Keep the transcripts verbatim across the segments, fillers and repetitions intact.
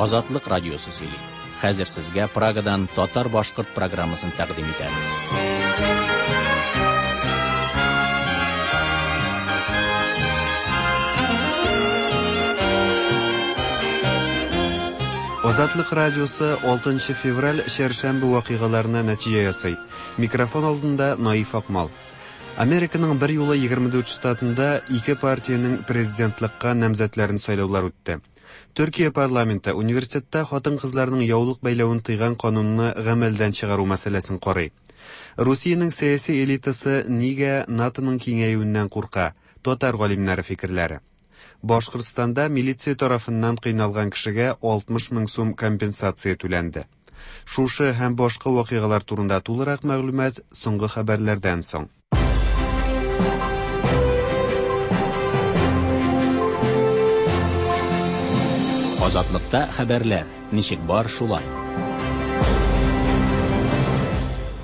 Азатлык радиосы сөйли. Хәзер сезгә Прагадан татар-башкорт программасын тәкъдим итәбез. Азатлык радиосы алтынчы февраль чәршәмбе вакыйгаларына нәтиҗә ясый. Микрофон алдында Наиф Акмал. Американың бер юлы егерме дүрт штатында ике партиянең президентлыкка намзәтләрен сайлаулар үтте. Төркия парламенты университетта хатын-кызларның яулык бәйләвен тыйган канунны гамәлдән чыгару мәсьәләсен карый. Русиянең сәяси элитасы нигә НАТОның киңәюеннән курка? Татар галимнәре фикерләре. Башкортстанда милиция тарафыннан кыйналган кешегә алтмыш мең сум компенсация түләнде. Шушы һәм башка вакыйгалар турында тулырак мәгълүмат соңгы хәбәрләрдән соң. Азатлыкта хәбәрләр ничек бар шулай.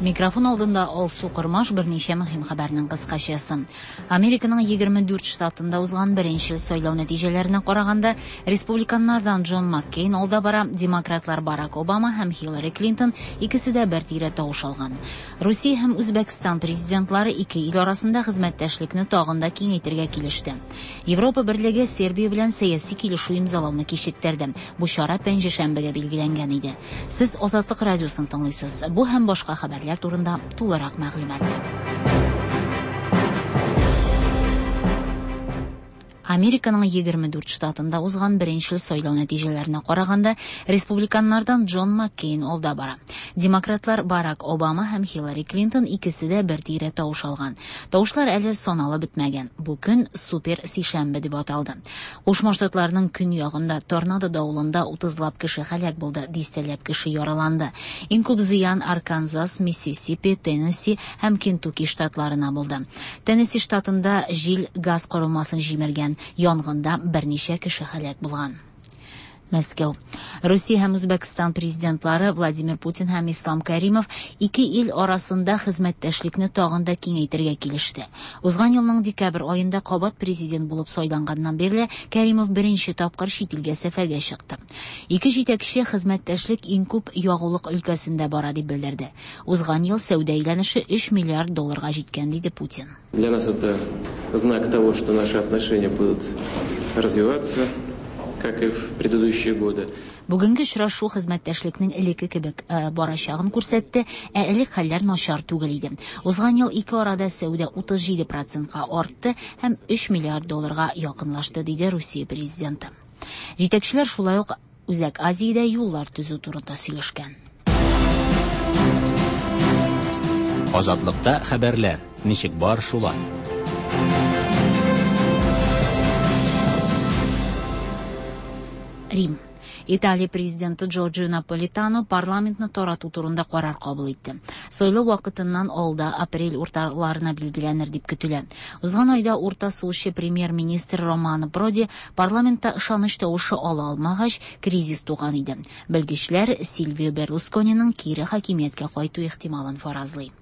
Микрофон алдында Алсу Кырмаш берничә мөһим хәбәрнең кыскачасы. Американың егерме дүрт штатында узган беренче сайлау нәтиҗәләренә караганда, республиканнардан Джон Маккейн алда бара, демократлар Барак Обама һәм Хиллари Клинтон икесе дә бер тирә тавыш алган. Русия һәм Үзбәкстан президентлары ике ил арасында хезмәттәшлекне тагын да киңәйтергә килеште. Европа Берлеге Сербия белән сәяси килешү имзалауны кичектерде. Бу чара пәнҗешәмбегә билгеләнгән иде. Сез Азатлык радиосын тыңлыйсыз. Бу һәм башка хәбәрләр турында тулырак мәгълүмат. Американың егерме дүрт штатында узган беренче сайлау нәтиҗәләренә караганда, республиканнардан Джон Маккейн алда бара. Демократлар Барак Обама һәм Хиллари Клинтон икесе дә бер тирә тавыш алган. Тавышлар әле саналып бетмәгән. Бу көн супер сишәмбе дип аталды. Кушма Штатларның көньягында торнадо давылында утызлап кеше һәлак булды, дистәләп кеше яраланды. Иң күп зыян Арканзас, Миссисипи, Теннесси һәм Кентукки штатларына булды. Теннесси штатында җил газ корылмасын җимергән. Янгында берничә кеше һәлак булган. Мәскәү. Русия һәм Үзбәкстан президентлары Владимир Путин һәм Ислам Каримов ике ил арасында хезмәттәшлекне тагын да киңәйтергә килеште. Узган елның декабрь аенда кабат президент булып сайланганнан бирле Каримов беренче тапкыр чит илгә сәфәргә чыкты. Ике җитәкче хезмәттәшлек иң күп ягулык өлкәсендә бара дип белдерде. Узган ел сәүдә әйләнеше өч миллиард долларга җиткән, диде Путин. Для нас это знак того, что наши отношения будут развиваться, как и в предыдущие годы. Бүгенге очрашу хезмәттәшлекнең элекке кебек, э, барачагын күрсәтте, ә элек хәлләр начар түгел иде. Узган ел ике арада сәүдә утыз җиде процентка артты һәм өч миллиард долларга якынлашты, диде Русия президенты. Җитәкчеләр шулай ук Үзәк Азиядә юллар төзү турында сөйләшкән. Азатлыкта хәбәрләр ничек бар шулай. Рим. Италия президенты Джорджио Наполитано парламентны тарату турында карар кабул итте. Сайлау вакытыннан алда апрель урталарына билгеләнер дип көтелә. Узган айда урта сулчы премьер-министр Романо Проди парламентта ышаныч тавышы ала алмагач, кризис туган иде. Белгечләр Сильвио Берлускониның кире хакимияткә кайту ихтималын фаразлый.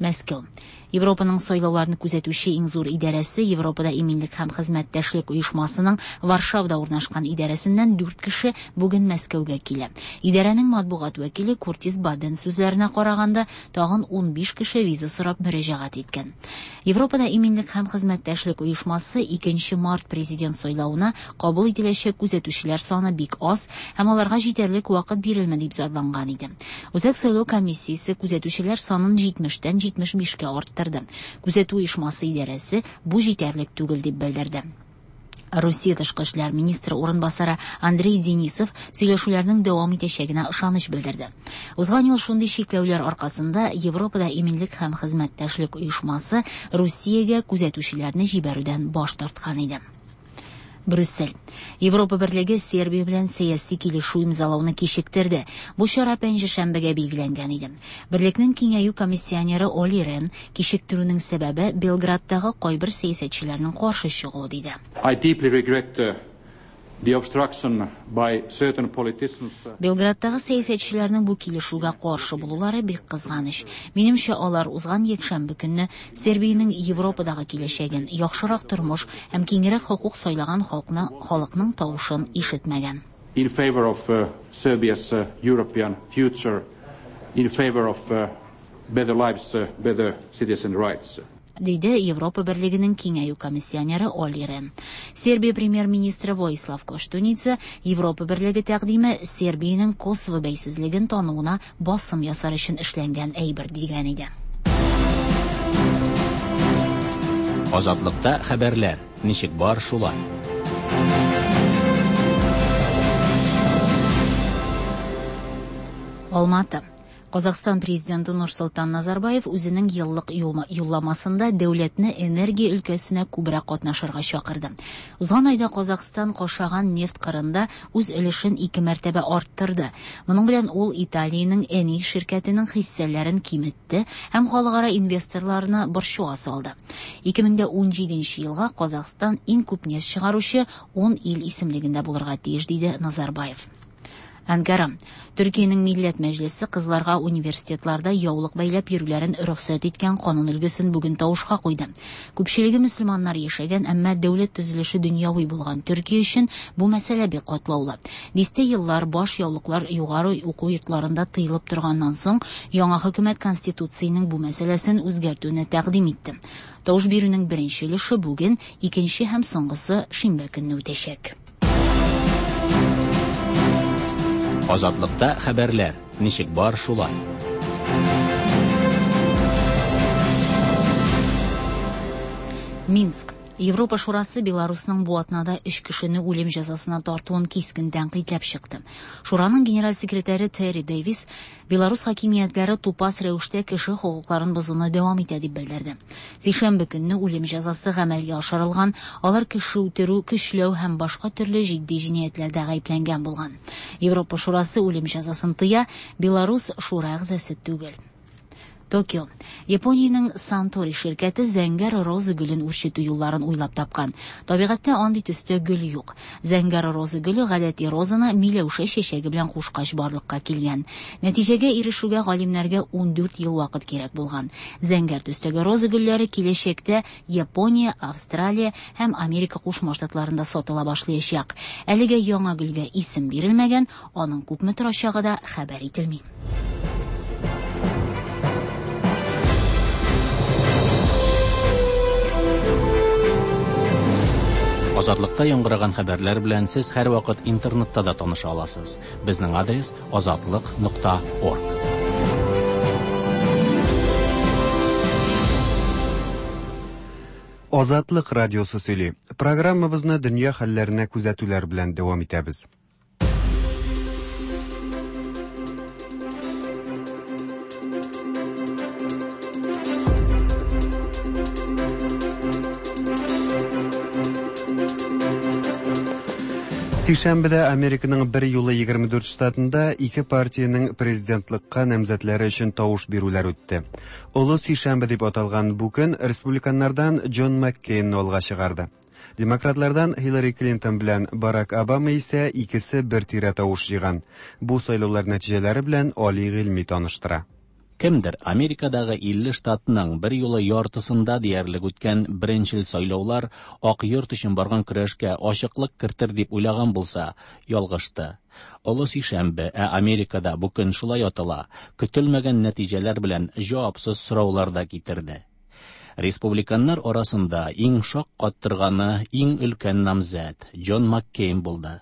Мәскәү. Европаның сайлауларны күзәтүче иң зур идарәсе Европада иминлек һәм хезмәттәшлек оешмасының Варшавда урнашкан идарәсеннән дүрт кеше бүген Мәскәүгә килә. Идарәнең матбугат вәкиле Куртис Баден сүзләренә караганда, тагын унбиш кеше виза сорап мөрәҗәгать иткән. Европада иминлек һәм хезмәттәшлек оешмасы икенче март президент сайлавына кабул ителәчәк күзәтүчеләр саны бик аз һәм аларга җитәрлек вакыт бирелмәде дип зарланган иде. Үзәк сайлау комиссиясе күзәтүчеләр санын җитмештән җитмеш бишкә арттырды. Күзәтү оешмасы идарәсе бу җитәрлек түгел дип белдерде. Русия тышкы эшләр министры урынбасары Андрей Денисов сөйләшүләрнең дәвам итәчәгенә ышаныч белдерде. Узган ел шундый чикләүләр аркасында Европада иминлек һәм хезмәттәшлек оешмасы Русиягә күзәтүчеләрне җибәрүдән баш тарткан иде. Брюссель. Европа Берлеге Сербия белән сәяси килешү имзалауны кичектерде. Бу чара пәнҗешәмбегә билгеләнгән иде. Берлекнең киңәю комиссионеры Оли Рен кичектерүнең сәбәбе Белградтагы кайбер сәясәтчеләрнең каршы чыгуы диде. I deeply regret the obstruction by certain politicians. Белградтагы сәясәтчеләрнең бу килешүгә каршы булулары бик кызганыч. Минемчә, алар узган якшәмбе көнне Сербиянең Европадагы киләчәген, яхшырак тормыш һәм киңрәк хокук сайлаган халыкны, халыкның тавышын ишетмәгән. in favor of uh, Serbia's uh, European future, in favor of uh, better lives, uh, better citizen rights. Диде Европа Берлегенең киңәю комиссионеры Олли Рен. Сербия премьер-министры Воислав Коштуница Европа Берлеге тәкъдиме Сербиянең Косово бәйсезлеген тануына басым ясар өчен эшләнгән әйбер дигән иде. Азатлыкта хәбәрләр ничек бар шулай. Алматы. Казахстан президенты Нурсултан Назарбаев үзенең еллык юлламасында дәүләтне энергия өлкәсенә күбрәк катнашырга чакырды. Узган айда Казахстан Кашаган нефть кырында үз өлешен ике мәртәбә арттырды. Моның белән ул Италиянең Eni ширкәтенең хиссәләрен киметте һәм халыкара инвесторларны борчуга салды. ике мең ун җиденче елга Казахстан иң күп нефть чыгаручы ун ил исемлегендә булырга тиеш, диде Назарбаев. Анкара. Төркиянең Милләт Мәҗлесе кызларга университетларда яулык бәйләп йөрүләрен рөхсәт иткән канун өлгесен бүген тавышка куйды. Күпчелеге мөселманнар яшәгән, әмма дәүләт төзелеше дөньяви булган Төркия өчен бу мәсьәлә бик катлаулы. Дистә еллар баш яулыклар югары уку йортларында тыелып торганнан соң, яңа хөкүмәт конституциянең бу мәсьәләсен үзгәртүне тәкъдим итте. Тавыш бирүнең беренче өлеше бүген, икенче һәм соңгысы шимбә көнне үтәчәк. Азатлыкта хәбәрләр ничек бар шулай. Минск. Европа Шурасы Беларусның бу атнада өч кешене үлем җәзасына тартуын кискен тәнкыйтьләп чыкты. Шураның генераль секретаре Терри Дэвис Беларус хакимиятләре тупас рәвештә кеше хокукларын бозуны дәвам итә дип белдерде. Сишәмбе көнне үлем җәзасы гамәлгә ашырылган, алар кеше үтерү, көчләү һәм башка төрле җитди җинаятьләрдә гаепләнгән булган. Европа Шурасы үлем җәзасын тыя, Беларус шура әгъзасы түгел. Токио. Япониянең Сантори ширкәте зәңгәр роза гөлен үрчетү юлларын уйлап тапкан. Табигатьтә андый төстә гөл юк. Зәңгәр роза гөле гадәти розаны миләүшә чәчәге белән кушкач барлыкка килгән. Нәтиҗәгә ирешүгә галимнәргә ун дүрт ел вакыт кирәк булган. Зәңгәр төстәге роза гөлләре киләчәктә Япония, Австралия һәм Америка Кушма Штатларында сатыла башлаячак. Әлегә яңа гөлгә исем бирелмәгән, аның күпме торачагы да хәбәр ителми. Азатлыкта яңгыраган хәбәрләр белән сез һәрвакыт интернетта да таныша аласыз. Безнең адрес азатлык нокта орг. Азатлык радиосы сөйли. Программабызны дөнья хәлләренә күзәтүләр белән дәвам итәбез. Сишәмбедә Американың бер юлы егерме дүрт штатында ике партиянең президентлыкка намзәтләре өчен тавыш бирүләр үтте. Олы сишәмбе дип аталган бу көн республиканнардан Джон Маккейнны алга чыгарды. Демократлардан Хиллари Клинтон белән Барак Обама исә икесе бер тирә тавыш җыйган. Бу сайлаулар нәтиҗәләре белән Али Гыйльми таныштыра. Кемдер Америкадагы илле штатның бер юлы яртысында диярлек үткән беренчел сайлаулар Ак йорт өчен барган көрәшкә ачыклык кертер дип уйлаган булса, ялгышты. Олы сишәмбе, ә Америкада бу көн шулай атала, көтелмәгән нәтиҗәләр белән җавапсыз сораулар да китерде. Республиканнар арасында иң шаккаттырганы иң өлкән намзәт Джон Маккейн булды.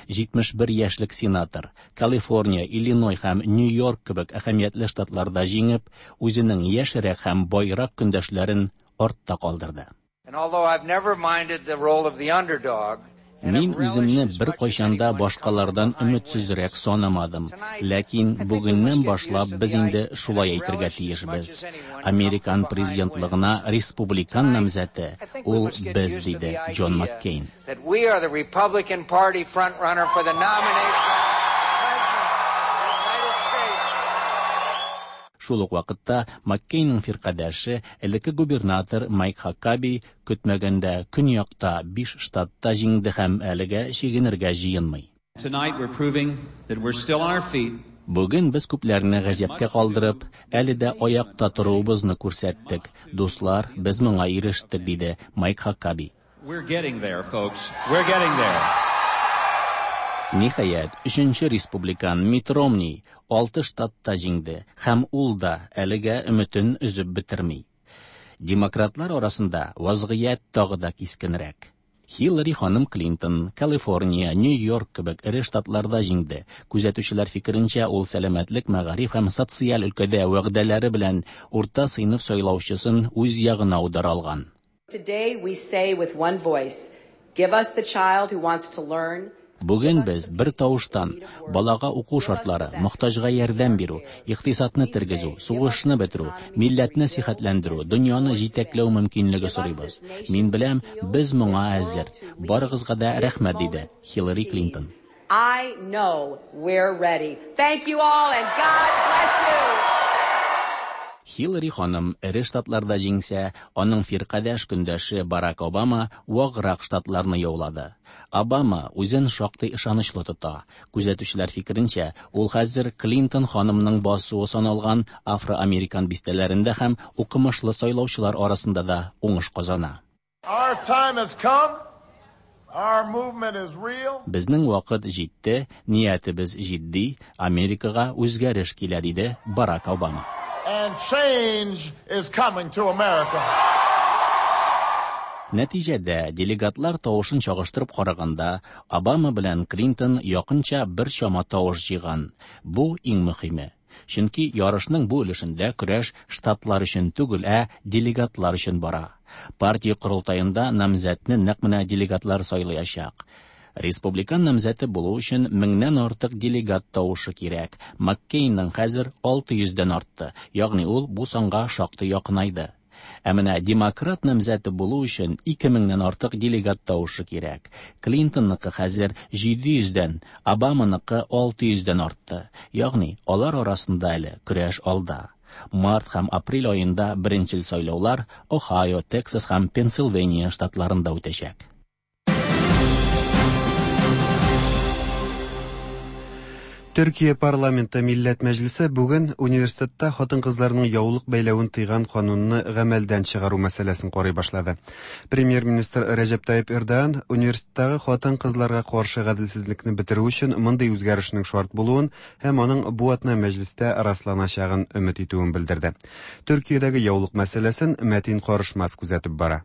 җитмеш бер яшьлек сенатор Калифорния, Иллиной һәм Нью-Йорк кебек әһәмиятле штатларда җиңеп, үзенең яшьрәк һәм байрак көндәшләрен артта калдырды. Мин үземне бер кайчан да башкалардан өметсезрәк санамадым. Ләкин бүгеннән башлап без инде шулай әйтергә тиешбез. Американ президентлыгына республикан намзәте ул без, диде Джон Маккейн. Шул ук вакытта Маккейнның фиркадәше, элекке губернатор Майк Хакаби көтмәгәндә көньякта биш штатта җиңде һәм әлегә чигенергә җыенмый. Бүген без күпләрне гаҗәпкә калдырып, әле дә аякта торуыбызны күрсәттек. Дуслар, без моңа ирештек, диде Майк Хакаби. We're getting there, folks. We're getting there. Ниһаять, өченче республикан Митт Ромни алты штатта җиңде һәм ул да әлегә өметен өзеп бетерми. Демократлар арасында вазгыять тагы да кискенрәк. Хиллари ханым Клинтон, Калифорния, Нью-Йорк кебек эре штатларда җиңде. Күзәтүчеләр фикеренчә, ул сәламәтлек, мәгариф һәм социаль өлкәдә вәгъдәләре белән урта сыйныф сайлаучысын үз ягына аудара алган. Today we say with one voice, give us the child who wants to learn. Бүген без бер тавыштан балага уку шартлары, мохтаҗга ярдәм бирү, икътисадны тергезү, сугышны бетерү, милләтне сихәтләндерү, дөньяны җитәкләү мөмкинлеге сорыйбыз. Мин беләм, без моңа әзер. Барыгызга да рәхмәт, диде Хиллари Клинтон. I know we're ready. Thank you all and God bless you. Хиллари ханым эре штатларда җиңсә, аның фиркадәш көндәше Барак Обама ваграк штатларны яулады. Обама үзен шактый ышанычлы тота. Күзәтүчеләр фикеренчә, ул хәзер Клинтон ханымның басуы саналган афроамерикан бистәләрендә һәм укымышлы сайлаучылар арасында да уңыш казана. Our time has come. Our movement is real. Безнең вакыт җитте, ниятебез җитди, Америкага үзгәреш килә, диде Барак Обама. And change is coming to America. Нәтиҗәдә делегатлар тавышын чагыштырып караганда, Обама белән Клинтон якынча бер чама тавыш җыйган. Бу иң мөһиме. Чөнки ярышның бу өлешендә көрәш штатлар өчен түгел, ә делегатлар өчен бара. Партия корылтаенда намзәтне нәкъ менә делегатлар сайлаячак. Республикан намзәте булу өчен меңнән артык делегат тавышы кирәк. Маккейнның хәзер алты йөздән артты, ягъни ул бу санга шактый якынайды. Ә менә демократ намзәте булу өчен ике меңнән артык делегат тавышы кирәк. Клинтонныкы хәзер җиде йөздән, Обаманыкы алты йөздән артты. Ягъни алар арасында әле көрәш алда. Март һәм апрель аенда беренчел сайлаулар Ohio, Texas һәм Пенсильвания штатларында үтәчәк. Төркия парламенты Милләт Мәҗлесе бүген университетта хатын-кызларның яулык бәйләвен тыйган канунны гамәлдән чыгару мәсьәләсен карый башлады. Премьер-министр Рәҗәп Тайип Эрдоган университеттагы хатын-кызларга каршы гаделсезлекне бетерү өчен мондый үзгәрешнең шарт булуын һәм аның бу атна мәҗлестә расланачагын өмет итүен белдерде. Төркиядәге яулык мәсьәләсен Мәтин Карышмас күзәтеп бара.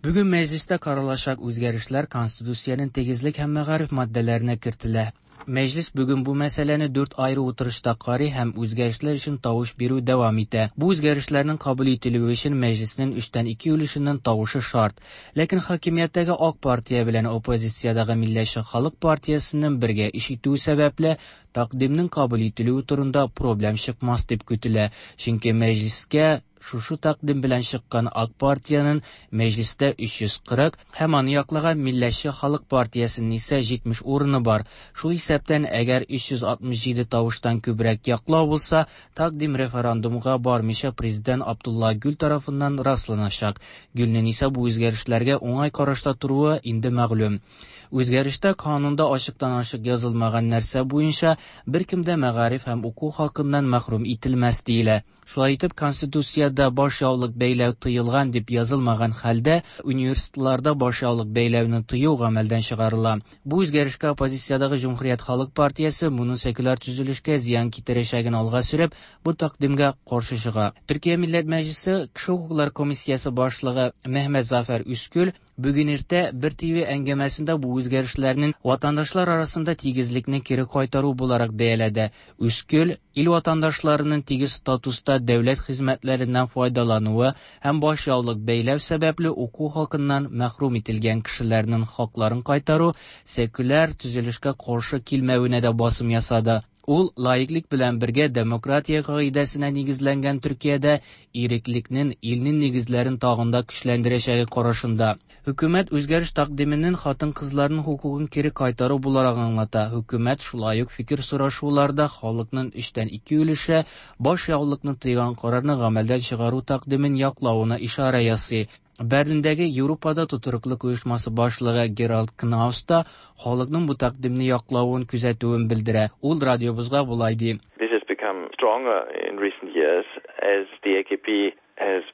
Бүген мәҗлестә каралачак үзгәрешләр Конституциянең тигезлек һәм мәгариф маддәләренә кертелә. Мәҗлес бүген бу мәсьәләне дүрт айры утырышта карый һәм үзгәрешләр өчен тавыш бирү дәвам итә. Бу үзгәрешләрнең кабул ителүе өчен мәҗлеснең өчтән ике өлешеннән тавышы шарт. Ләкин хакимияттәге Ак партия белән оппозициядәге Милләтче Халык партиясенең бергә эш итүе сәбәпле тәкъдимнең кабул ителүе турында проблем чыкмас дип көтелә. Чөнки мәҗлескә шушы тәкъдим белән чыккан Ак партиянең мәҗлестә өч йөз кырык һәм аны яклаган Милләтче Халык партиясенең исә җитмеш урыны бар. Шул исәптән, әгәр өч йөз алтмыш җиде тавыштан күбрәк яклау булса, тәкъдим референдумга бармыйча президент Абдулла Гүл тарафыннан расланачак. Гүлнең исә бу үзгәрешләргә уңай карашта торуы инде мәгълүм. Үзгәрештә канунда ачыктан-ачык язылмаган нәрсә буенча беркем дә мәгариф һәм уку хакыннан мәхрүм ителмәс диелә. Шулай итеп, Конституциядә баш яулык бәйләү тыелган дип язылмаган хәлдә университетларда баш яулык бәйләүне тыю гамәлдән чыгарыла. Бу үзгәрешкә оппозициядәге Җөмһүрият Халык партиясе моның секуляр төзелешкә зыян китерәчәген алга сөреп, бу тәкъдимгә каршы чыга. Төркия Милләт Мәҗлесе Кеше хокуклары комиссиясе башлыгы Мехмет Зафәр Үскүл бүген иртә бер Т В әңгәмәсендә бу үзгәрешләрнең ватандашлар арасында тигезлекне кире кайтару буларак бәяләде. Үскүл ил ватандашларының тигез статуста дәүләт хезмәтләреннән файдалануы һәм баш яулык бәйләү сәбәпле уку хакыннан мәхрүм ителгән кешеләрнең хакларын кайтару секуляр төзелешкә каршы килмәвенә дә басым ясады. Ул лаиклык белән бергә демократия кагыйдәсенә нигезләнгән Төркиядә иреклекнең илнең нигезләрен тагын да көчләндерәчәге карашында. Хөкүмәт үзгәреш тәкъдименең хатын-кызларның хокукын кире кайтару буларак аңлата. Хөкүмәт шулай ук фикер сорашуларда халыкның өчтән ике өлеше баш яулыкны тыйган карарны гамәлдән чыгару тәкъдимен яклавына ишарә ясый. Берлиндәге Европада тотрыклылык оешмасы башлыгы Геральд Кнаус та халыкның бу тәкъдимне яклавын күзәтүен белдерә. Ул радиобызга болай ди. This has become stronger in recent years as the A K P has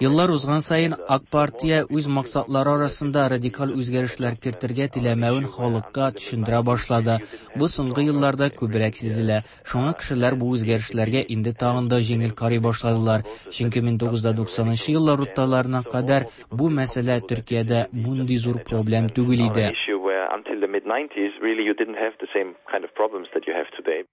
Еллар узган саен Ак партия үз максатлары арасында радикаль үзгәрешләр кертергә теләмәвен халыкка төшендерә башлады. Бу соңгы елларда күбрәк сизелә. Шуңа кешеләр бу үзгәрешләргә инде тагын да җиңел карый башладылар. Чөнки мең тугыз йөз туксанынчы еллар урталарына кадәр бу мәсьәлә Төркиядә мондый зур проблем түгел иде.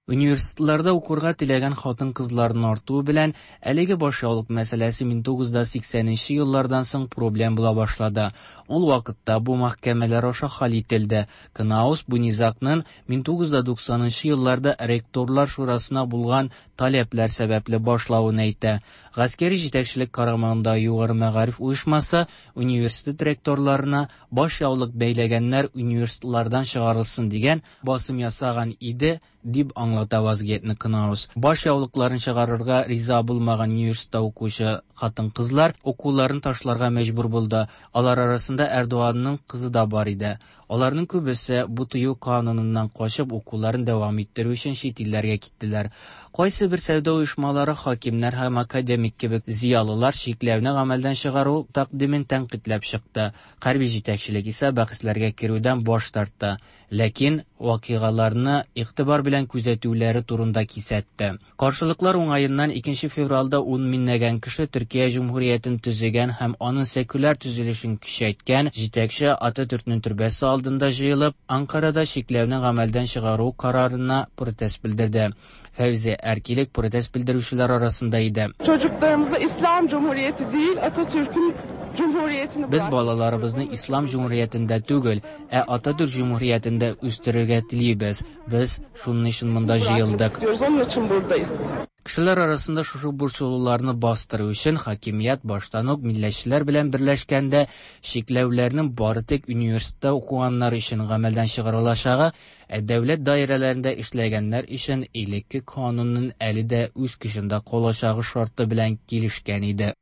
Университетларда укырга теләгән хатын-кызларның артуы белән әлеге башъяулык мәсьәләсе мең тугыз йөз сиксәненче еллардан соң проблем була башлады. Ул вакытта бу мәхкәмәләр аша хәл ителде. Кнаус бу низагның мең тугыз йөз туксанынчы елларда ректорлар шурасына булган таләпләр сәбәпле башлавын әйтә. Гаскәри җитәкчелек карамагында югары мәгариф оешмасы университет ректорларына башъяулык бәйләгәннәр университетлардан чыгарылсын дигән басым ясаган иде, дип аңлата вазгыятьне Кнаус. Баш яулыкларын чыгарырга риза булмаган университетта укучы хатын-кызлар укуларын ташларга мәҗбүр булды. Алар арасында Эрдоганның кызы да бар иде. Аларның күбесе бу тыю кануныннан качып укуларын дәвам иттерү өчен чит илләргә киттеләр. Кайсы бер сәүдә оешмалары, хакимнәр һәм академик кебек зыялылар чикләүне гамәлдән чыгару тәкъдимен тәнкыйтьләп чыкты. Хәрби җитәкчелек исә бәхәсләргә керүдән баш тартты. Ләкин вакыйгаларны игътибар белән күзәтүләре турында кисәтте. Каршылыклар уңаеннан икенче февральдә ун меңләгән кеше Төркия Җөмһүриятен төзегән һәм аның секуляр төзелешен көчәйткән җитәкче Ататүркнең төрбәсе алдында җыелып, Анкарада чикләүне гамәлдән чыгару карарына протест белдерде. Фәүзе Әркилек протест белдерүчеләр арасында иде. Çocuklarımıza İslam Cumhuriyeti değil, Atatürk'ün Без балаларыбызны Ислам Җөмһүриятендә түгел, ә Ататүрк Җөмһүриятендә үстерергә телибез. Без шуның өчен монда җыелдык. Кешеләр арасында шушы борчылуларны бастыру өчен хакимият баштан ук милләтчеләр белән берләшкәндә чикләүләрнең бары тик университетта укыганнар өчен гамәлдән чыгарылачагы, ә дәүләт даирәләрендә эшләгәннәр өчен элекке канунның әле дә үз көчендә калачагы шарты белән килешкән иде.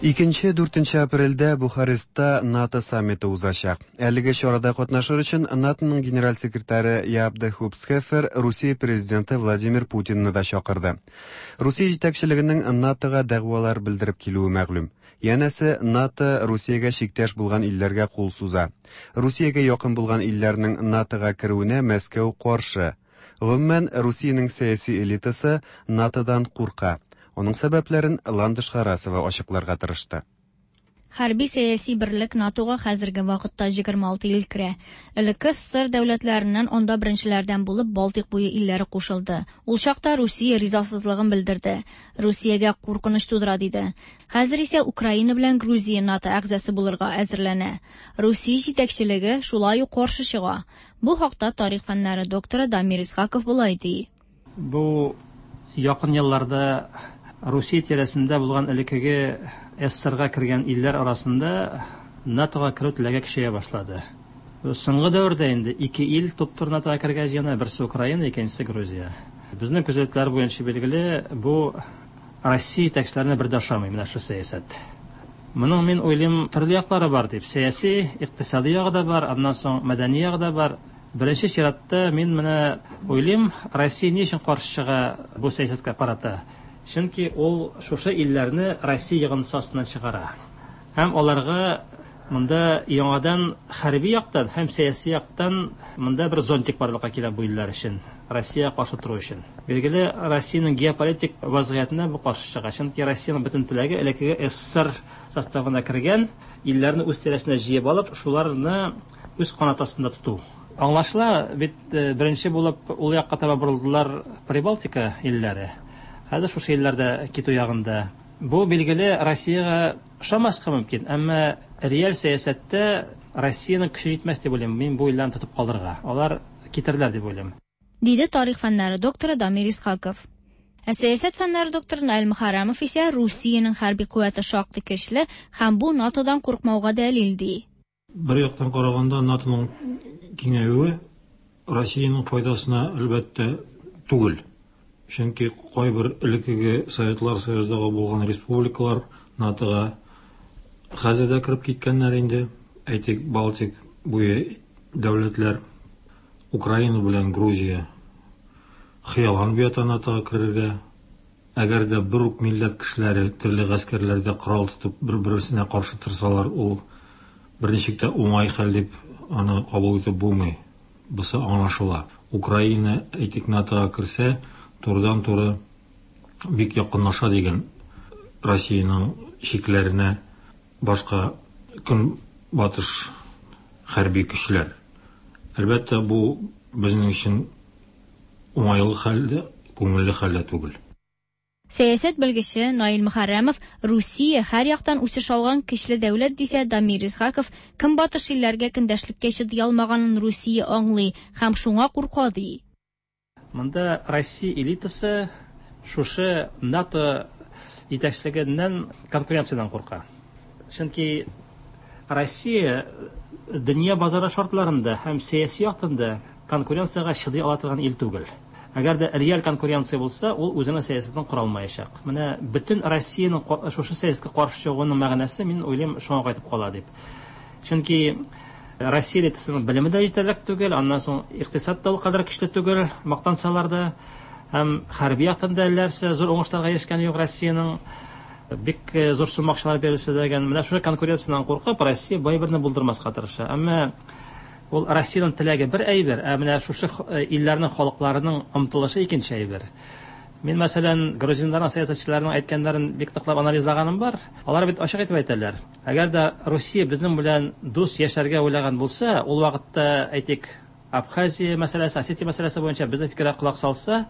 Икенче дүртенче апрельдә Бухарестта НАТО саммиты узачак. Әлеге чарада катнашыр өчен НАТОның генераль секретаре Яп де Хупсхефер Русия президенты Владимир Путинны да чакырды. Русия җитәкчелегенең НАТОга дәгъвалар белдереп килүе мәгълүм. Янәсе, НАТО Русиягә чиктәш булган илләргә кул суза. Русиягә якын булган илләрнең НАТОга керүенә Мәскәү каршы. Гомумән, Русиянең сәяси элитасы НАТОдан курка. Оның сәбәпләрен Ландыш Харасова ачыкларга тырышты. Хәрби сәяси берлек НАТОга хәзерге вакытта егерме алты ил керә. Элекке СССР дәүләтләреннән анда беренчеләрдән булып Балтыйк буе илләре кушылды. Ул чакта Русия ризасызлыгын белдерде. Русиягә куркыныч тудыра диде. Хәзер исә Украина белән Грузия НАТО әгъзасы булырга әзерләнә. Русия җитәкчелеге шулай ук каршы чыга. Бу хакта тарих фәннәре докторы Дамир Исхаков болай ди. Бу якын елларда Русия тирәсендә булган элеккеге СССРга кергән илләр арасында НАТОга керү теләге көчәя башлады. Соңгы дәвердә инде ике ил туп-туры НАТОга кергән җыена, берсе Украина, икенчесе Грузия. Безнең күзәтүләр буенча билгеле, бу Россия җитәкчеләренә бер дә ошамый менә шу сәясәт. Моның мин уйлыйм төрле яклары бар дип. Сәяси, икътисади ягы да бар, аннан соң мәдәни ягы да бар. Беренче чиратта мин менә уйлыйм, Россия ни өчен каршы чыга бу сәясәткә карата? Чөнки ул шушы илләрне Россия йогынтысы астыннан чыгара. Һәм аларга монда яңадан хәрби яктан һәм сәяси яктан монда бер зонтик барлыкка килә бу илләр өчен, Россия каршы тору өчен. Билгеле, Россиянең геополитик вазгыятенә бу каршы чыга. Чөнки Россиянең бөтен теләге элеккеге СССР составына кергән илләрне үз тирәсенә җыеп алып, шуларны үз канат астында тоту. Аңлашыла, бит беренче булып ул якка таба борылдылар Прибалтика илләре. Хәзер шушы илләрдә китү ягында. Бу билгеле Россиягә ошамаска мөмкин, әмма реаль сәясәттә Россиянең көче җитмәс дип уйлыйм. Мин бу илләрне тотып калырга, алар китерләр дип уйлыйм. Диде тарих фәннәре докторы Дамир Исхаков. Ә сәясәт фәннәре докторы Наил Мөхәррәмов исә Русиянең хәрби куәте шактый көчле һәм бу НАТОдан куркмауга дәлил ди. Бер яктан караганда НАТОның киңәюе Россиянең файдасына әлбәттә түгел. Чөнки кайбер элеккеге Советлар Союзындагы булган республикалар НАТОга хәзер дә кереп киткәннәр инде. Әйтик, Балтик буе дәүләтләр, Украина белән Грузия хыялланып ята НАТОга керергә. Әгәр дә бер үк милләт кешеләре төрле гаскәрләрдә корал тотып бер-берсенә каршы торсалар, ул берничек тә уңай хәл дип аны кабул итеп булмый. Бусы аңлашыла. Украина, әйтик, НАТОга керсә, турыдан-туры бик якынлаша дигән Россиянең чикләренә башка көнбатыш хәрби көчләр. Әлбәттә, бу безнең өчен уңайлы хәл дә, күңелле хәл дә түгел. Сәясәт белгече Наил Мөхәррәмов Русия һәр яктан үсеш алган көчле дәүләт дисә, Дамир Исхаков көнбатыш илләргә көндәшлеккә чыдый алмаганын Русия аңлый һәм шуңа курка ди. Монда Россия элитасы шушы НАТО җитәкчелегеннән конкуренциядән курка. Чөнки Россия дөнья базары шартларында һәм сәяси яктан да конкуренциягә чыдый ала торган ил түгел. Әгәр дә реаль конкуренция булса, ул үзенең сәясәтен кора алмаячак. Менә бөтен Россиянең шушы сәясәткә каршы чыгуының мәгънәсе, мин уйлыйм, шуңа кайтып кала дип. Чөнки Россия элитасының белеме дә җитәрлек түгел, аннан соң икътисад та ул кадәр көчле түгел, мактансалар да, һәм хәрби яктан да әлләрсә зур уңышларга ирешкәне юк Россиянең. Бик зур сумма акчалар бирелсә дә, менә шушы конкуренциядән куркып, Россия бай берне булдырмаска тырыша. Әмма ул Россиянең теләге бер әйбер, ә менә шушы илләрнең халыкларының омтылышы икенче әйбер. Мин, мәсәлән, грузиннарның сәясәтчеләренең әйткәннәрен бик ныклап анализлаганым бар. Алар бит ачык итеп әйтәләр. Әгәр дә Русия безнең белән дус яшәргә уйлаган булса, ул вакытта, әйтик, Абхазия мәсьәләсе, Осетия мәсьәләсе буенча безнең фикергә колак салса,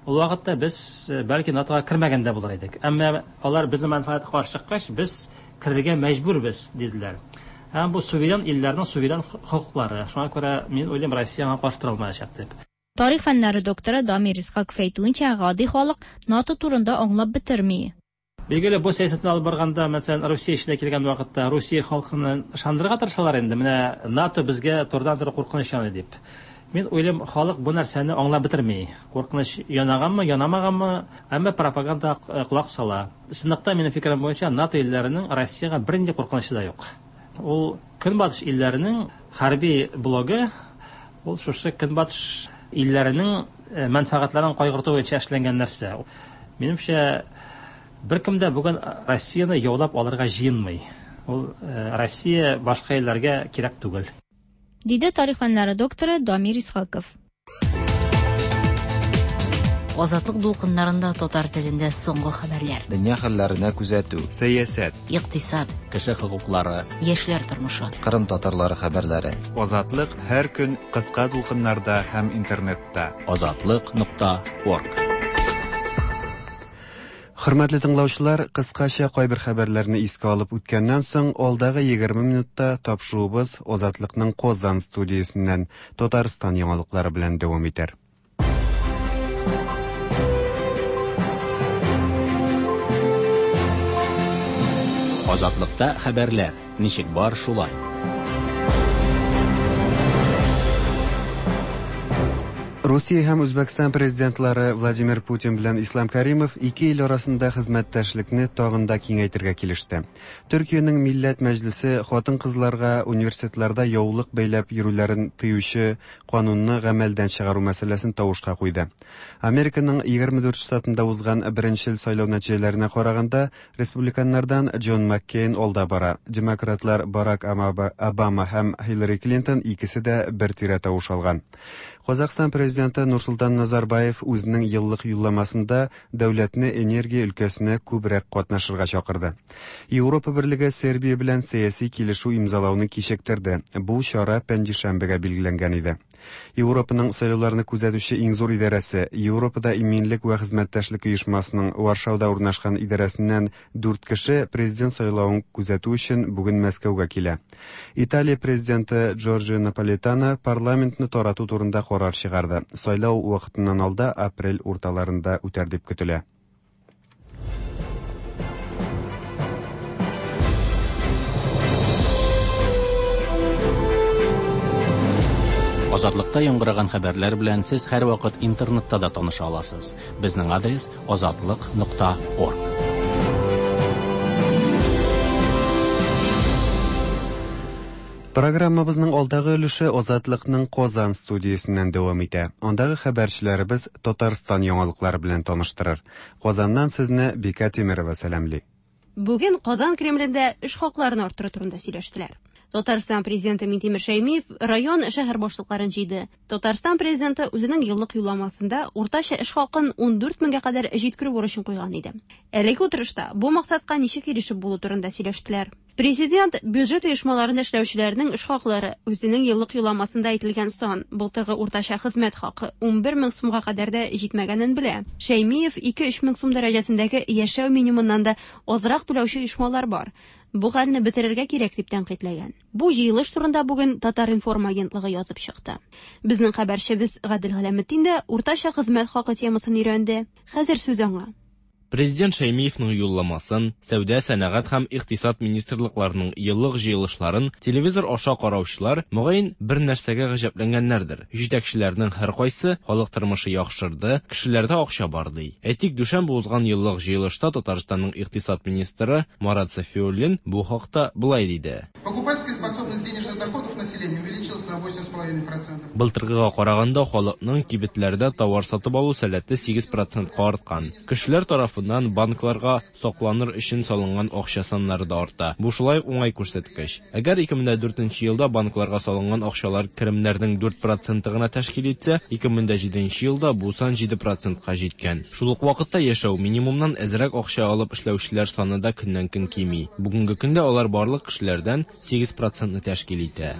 ул вакытта без бәлки НАТОга кермәгән дә булыр идек. Әмма алар безнең мәнфәгатькә каршы чыккач, без керергә мәҗбүрбез, диделәр. Һәм бу суверен илләрнең суверен хокуклары. Шуңа күрә мин уйлыйм, Россия аңа каршы тора алмаячак дип. Тарих фәннәре докторы Дамир Исхаков әйтүенчә, гади халык НАТО турында аңлап бетерми. Билгеле, бу сәясәтне алып барганда, мәсәлән, Русия эченә килгән вакытта Русия халкын ышандырырга тырышалар инде. Менә НАТО безгә турыдан-туры куркыныч яный дип. Мин уйлыйм, халык бу нәрсәне аңлап бетерми. Куркыныч янаганмы, янамаганмы, әмма пропаганда колак сала. Чынлыкта, минем фикерем буенча, НАТО илләренең Россиягә бернинди куркынычы да юк. Ул Көнбатыш илләренең хәрби блогы, ул шушы Көнбатыш илләренең мәнфәгатьләрен кайгырту буенча эшләнгән нәрсә. Минемчә, беркем дә бүген Россияне яулап алырга җыенмый. Ул Россия башка илләргә кирәк түгел. Диде тарих фәннәре докторы Дамир Исхаков. Азатлык дулкыннарында татар телендә соңгы хәбәрләр. Дөнья хәлләренә күзәтү. Сәясәт. Икътисад. Кеше хокуклары. Яшьләр тормышы. Кырым татарлары хәбәрләре. Азатлык һәр көн кыска дулкыннарда һәм интернетта. Азатлык нокта орг. Хөрмәтле тыңлаучылар, кыскача кайбер хәбәрләрне искә алып үткәннән соң, алдагы егерме минутта тапшыруыбыз Азатлыкның Казан студиясеннән Татарстан яңалыклары белән дәвам итәр. Азатлыкта хәбәрләр ничек бар шулай. Русия һәм Үзбәкстан президентлары Владимир Путин белән Ислам Каримов ике ил арасында хезмәттәшлекне тагын да киңәйтергә килеште. Төркиянең Милләт Мәҗлесе хатын-кызларга университетларда яулык бәйләп йөрүләрен тыючы канунны гамәлдән чыгару мәсьәләсен тавышка куйды. Американың егерме дүрт штатында узган беренчел сайлау нәтиҗәләренә караганда, республиканнардан Джон Маккейн алда бара. Демократлар Барак Обама һәм Хиллари Клинтон икесе дә бер тирә тавыш алган. Казахстан президенты Нурсултан Назарбаев үзенең еллык юлламасында дәүләтне энергия өлкәсенә күбрәк катнашырга чакырды. Европа Берлеге Сербия белән сәяси килешү имзалауны кичектерде. Бу чара пәнҗешәмбегә билгеләнгән иде. Европаның сайлауларны күзәтүче иң зур идарәсе Европада иминлек вә хезмәттәшлек оешмасының Варшауда урнашкан идарәсеннән дүрт кеше президент сайлавын күзәтү өчен бүген Мәскәүгә килә. Италия президенты Джорджио Наполитано парламентны тарату турында карар чыгарды. Сайлау вакытыннан алда апрель урталарында үтәр дип көтелә. Азатлыкта яңгыраган хәбәрләр белән сез һәрвакыт интернетта да таныша аласыз. Безнең адрес азатлык нокта орг. Программабызның алдагы өлеше Азатлыкның Казан студиясеннән дәвам итә. Андагы хәбәрчеләребез Татарстан яңалыклары белән таныштырыр. Казаннан сезне Бика Тимирова сәламли. Бүген Казан Кремлендә эш хакларын арттыру турында сөйләштеләр. Татарстан президенты Минтимер Шәймиев район, шәһәр башлыкларын җыйды. Татарстан президенты үзенең еллык юлламасында уртача эш хакын ундүрт меңгә кадәр җиткерү бурычын куйган иде. Әлеге утырышта бу максатка ничек ирешеп булу турында сөйләштеләр. Президент бюджет оешмаларында эшләүчеләрнең эш хаклары үзенең еллык юлламасында әйтелгән сан, былтыргы уртача хезмәт хакы унбер мең сумга кадәр дә җитмәгәнен белә. Шәймиев ике-өч мең сум дәрәҗәсендәге яшәү минимумыннан да азрак түләүче оешмалар бар. Бу хәлне бетерергә кирәк дип тәнкыйтьләгән. Бу җыелыш турында бүген Татар-информ агентлыгы язып чыкты. Безнең хәбәрчебез Гадел Галәметдин дә уртача хезмәт хакы темасын өйрәнде. Хәзер сүз аңа. Президент Шәймиевның юлламасын, сәүдә, сәнәгать һәм икътисад министрлыкларының еллык җыелышларын телевизор аша караучылар мөгаен бер нәрсәгә гаҗәпләнгәннәрдер. Җитәкчеләрнең һәркайсы халык тормышы яхшырды, кешеләрдә акча бар ди. Әйтик, дүшәмбе узган еллык җыелышта Татарстанның икътисад министры Марат Сафиуллин бу хакта болай диде. Покупательская способность денежных доходов населения увеличилась на восемь с половиной процентов. Былтыргыга караганда халыкның кибетләрдә товар сатып алу сәләте сигез процентка арткан. Кешеләр тарафыннан банкларга сакланыр өчен салынган акча саннары да арта. Бу шулай уңай күрсәткеч. Әгәр ике мең дүртенче елда банкларга салынган акчалар керемнәрнең дүрт проценты гына тәшкил итсә, ике мең җиденче елда бу сан җиде процентка җиткән. Шул ук вакытта яшәү минимумнан әзрәк акча алып эшләүчеләр саны да көннән-көн кими. Бүгенге көндә алар барлык кешеләрдән сигез процентны тәшкил итә.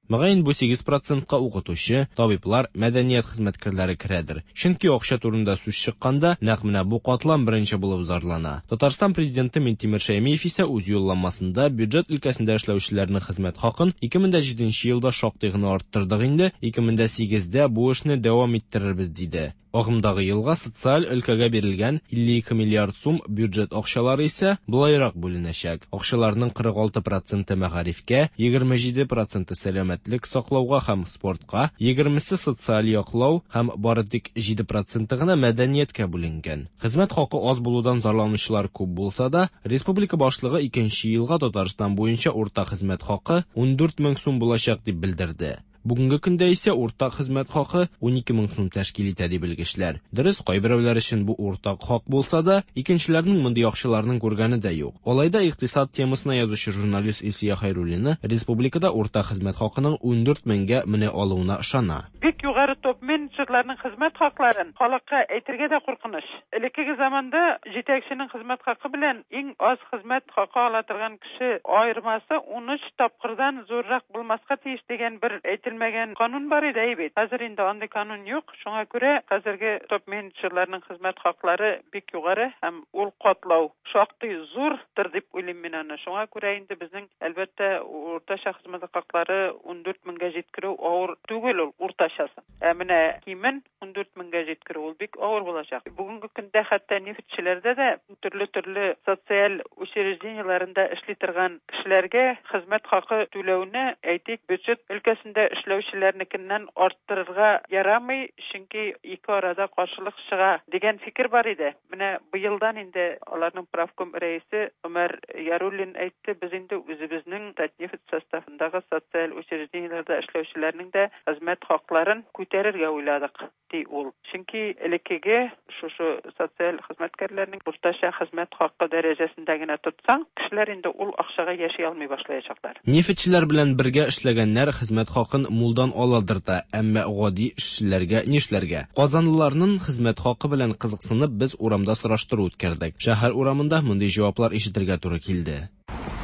Мөгаен бу сигез процентка укытучы, табиблар, мәдәният хезмәткәрләре керәдер. Чөнки акча турында сүз чыкканда, нәкъ менә бу катлам беренче булып зарлана. Татарстан президенты Минтимер Шәймиев исә үз юлламасында бюджет өлкәсендә эшләүчеләрнең хезмәт хакын ике мең җиденче елда шактый гына арттырдык инде, ике мең сигездә бу эшне дәвам иттерербез диде. Агымдагы елга социаль өлкәгә бирелгән илле ике миллиард сум бюджет акчалары исә болайрак бүленәчәк. Акчаларның кырык алты проценты мәгарифкә, егерме җиде проценты сәламәтлек саклауга һәм спортка, егермесе социаль яклау һәм бары тик җиде проценты гына мәдәнияткә бүленгән. Хезмәт хакы аз булудан зарланучылар күп булса да, республика башлыгы икенче елга Татарстан буенча урта хезмәт хакы ундүрт мең сум булачак дип белдерде. Бүгенге көндә исә уртак хезмәт хакы унике мең сум тәшкил итә ди белгечләр. Дөрес, кайберәүләр өчен бу уртак хак булса да, икенчеләрнең мондый акчаларның күргәне дә юк. Алай да икътисад темасына язучы журналист Илсөя Хәйруллина республикада уртак хезмәт хакының ундүрт меңгә менә алуына ышана. Бик югары топ-менеджерларның хезмәт хакларын халыкка әйтергә дә куркыныч. Элеккеге заманда җитәкченең хезмәт хакы белән иң аз хезмәт хакы ала торган кеше аермасы унөч тапкырдан зуррак булмаска тиеш дигән бер әйтелмәгән канун бар иде бит. Хәзер инде андый канун юк. Шуңа күрә хәзерге топ-менеджерларның хезмәт хаклары бик югары һәм ул катлау шактый зурдыр дип уйлыйм мин аны. Шуңа күрә инде безнең әлбәттә уртача хезмәт хаклары ундүрт меңгә җиткерү авыр түгел ул уртачасы. Ә менә кимен ундүрт меңгә җиткерү ул бик авыр булачак. Бүгенге көндә хәтта нефтьчеләрдә дә төрле-төрле социаль учреждениеләрендә эшли торган кешеләргә хезмәт хакы түләүне, әйтик, бюджет өлкәсендә эшләүчеләрнекеннән арттырырга ярамый, чөнки ике арада каршылык чыга дигән фикер бар иде. Менә быелдан инде аларның правком рәисе Умар Яруллин әйтте, без инде үзебезнең Татнефть составындагы социаль учреждениеләрдә эшләүчеләрнең дә хезмәт хакларын күтәрергә уйладык, ди ул. Чөнки элеккеге шушы социаль хезмәткәрләрнең уртача хезмәт хакы дәрәҗәсендә генә тотсаң, кешеләр инде ул акчага яши алмый башлаячаклар. Нефтьчеләр белән бергә эшләгәннәр хезмәт хакын мулдан аладыр да, әмма гади эшчеләргә нишләргә? Казанлыларның хезмәт хакы белән кызыксынып без урамда сораштыру үткәрдек. Шәһәр урамында мондый җаваплар ишетергә туры килде.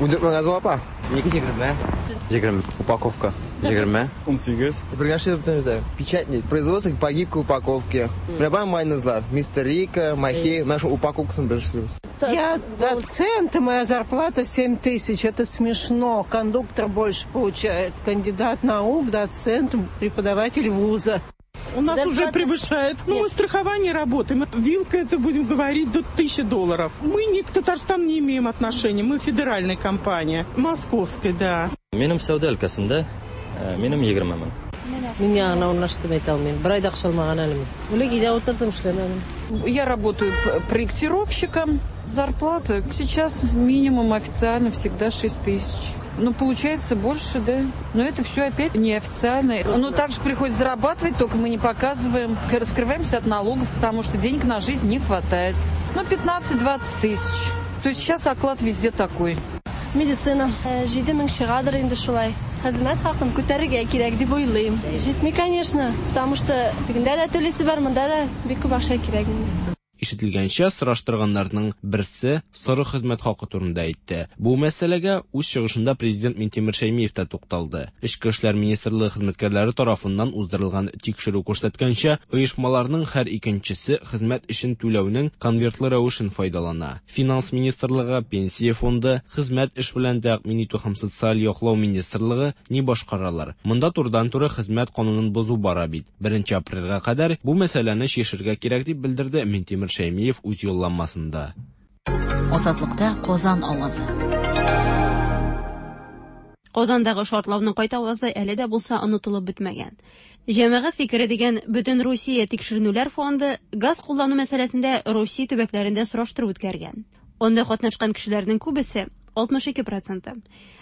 Ундүрт мең азыл апа. Ники егерме? Егерме. Упаковка. Егерме. Унсигез. Печатник. Производство по гибкой упаковке. Менә майонезлар. Мистер Рика, Махи. Менә шул упаковкасын без эшлибез. Я доцент, и моя зарплата семь тысяч. Это смешно. Кондуктор больше получает. Кандидат наук, доцент, преподаватель вуза. У нас уже превышает. Ну, мы страхование работаем. Вилка, это будем говорить, до тысячи долларов. Мы ни к Татарстану не имеем отношения. Мы федеральная компания. Московская, да. Минем сәүдә өлкәсендә, минем егерме мең. Мин яңа урнаштым әйтә алмыйм. Бер ай да акча алмаган әле мин. Үлек өйдә утырдым, эшләмәдем. Я работаю проектировщиком. Зарплата сейчас минимум официально всегда шесть тысяч. Ну, получается больше, да. Но это все опять неофициально. Но также приходится зарабатывать, только мы не показываем. Раскрываемся от налогов, потому что денег на жизнь не хватает. Ну, пятнадцать-двадцать тысяч. То есть сейчас оклад везде такой. Медицина. Җиде мең чыгадыр инде шулай. Хезмәт хакын күтәрергә кирәк дип уйлыйм. Җитми, конечно, потому что тегендә дә түлисе бар, монда да бик күп акча кирәк инде. Ишетелгәнчә, сораштырганнарның берсе соры хезмәт хакы турында әйтте. Бу мәсьәләгә үз чыгышында президент Минтимер Шәймиев та тукталды. Эчке эшләр министрлыгы хезмәткәрләре тарафыннан уздырылган тикшерү күрсәткәнчә, оешмаларның һәр икенчесе хезмәт өчен түләүнең конвертлы рәвешен файдалана. Финанс министрлыгы, пенсия фонды, хезмәт эш белән тәэмин итү һәм социаль яклау министрлыгы ни башкаралар? Монда турыдан-туры хезмәт канунын бозу бара бит. Беренче апрельгә кадәр бу мәсьәләне чишергә кирәк дип белдерде Минтимер Шәймиев үз юлланмасында. Азатлыкта Казан авазы. Казандагы шартлауның кайтавазы әле дә булса онытылып бетмәгән. Җәмәгать фикере дигән Бөтен Русия тикшеренүләр фонды газ куллану мәсьәләсендә Русия төбәкләрендә сораштыру үткәргән. Анда катнашкан кешеләрнең күбесе, алтмыш ике проценты,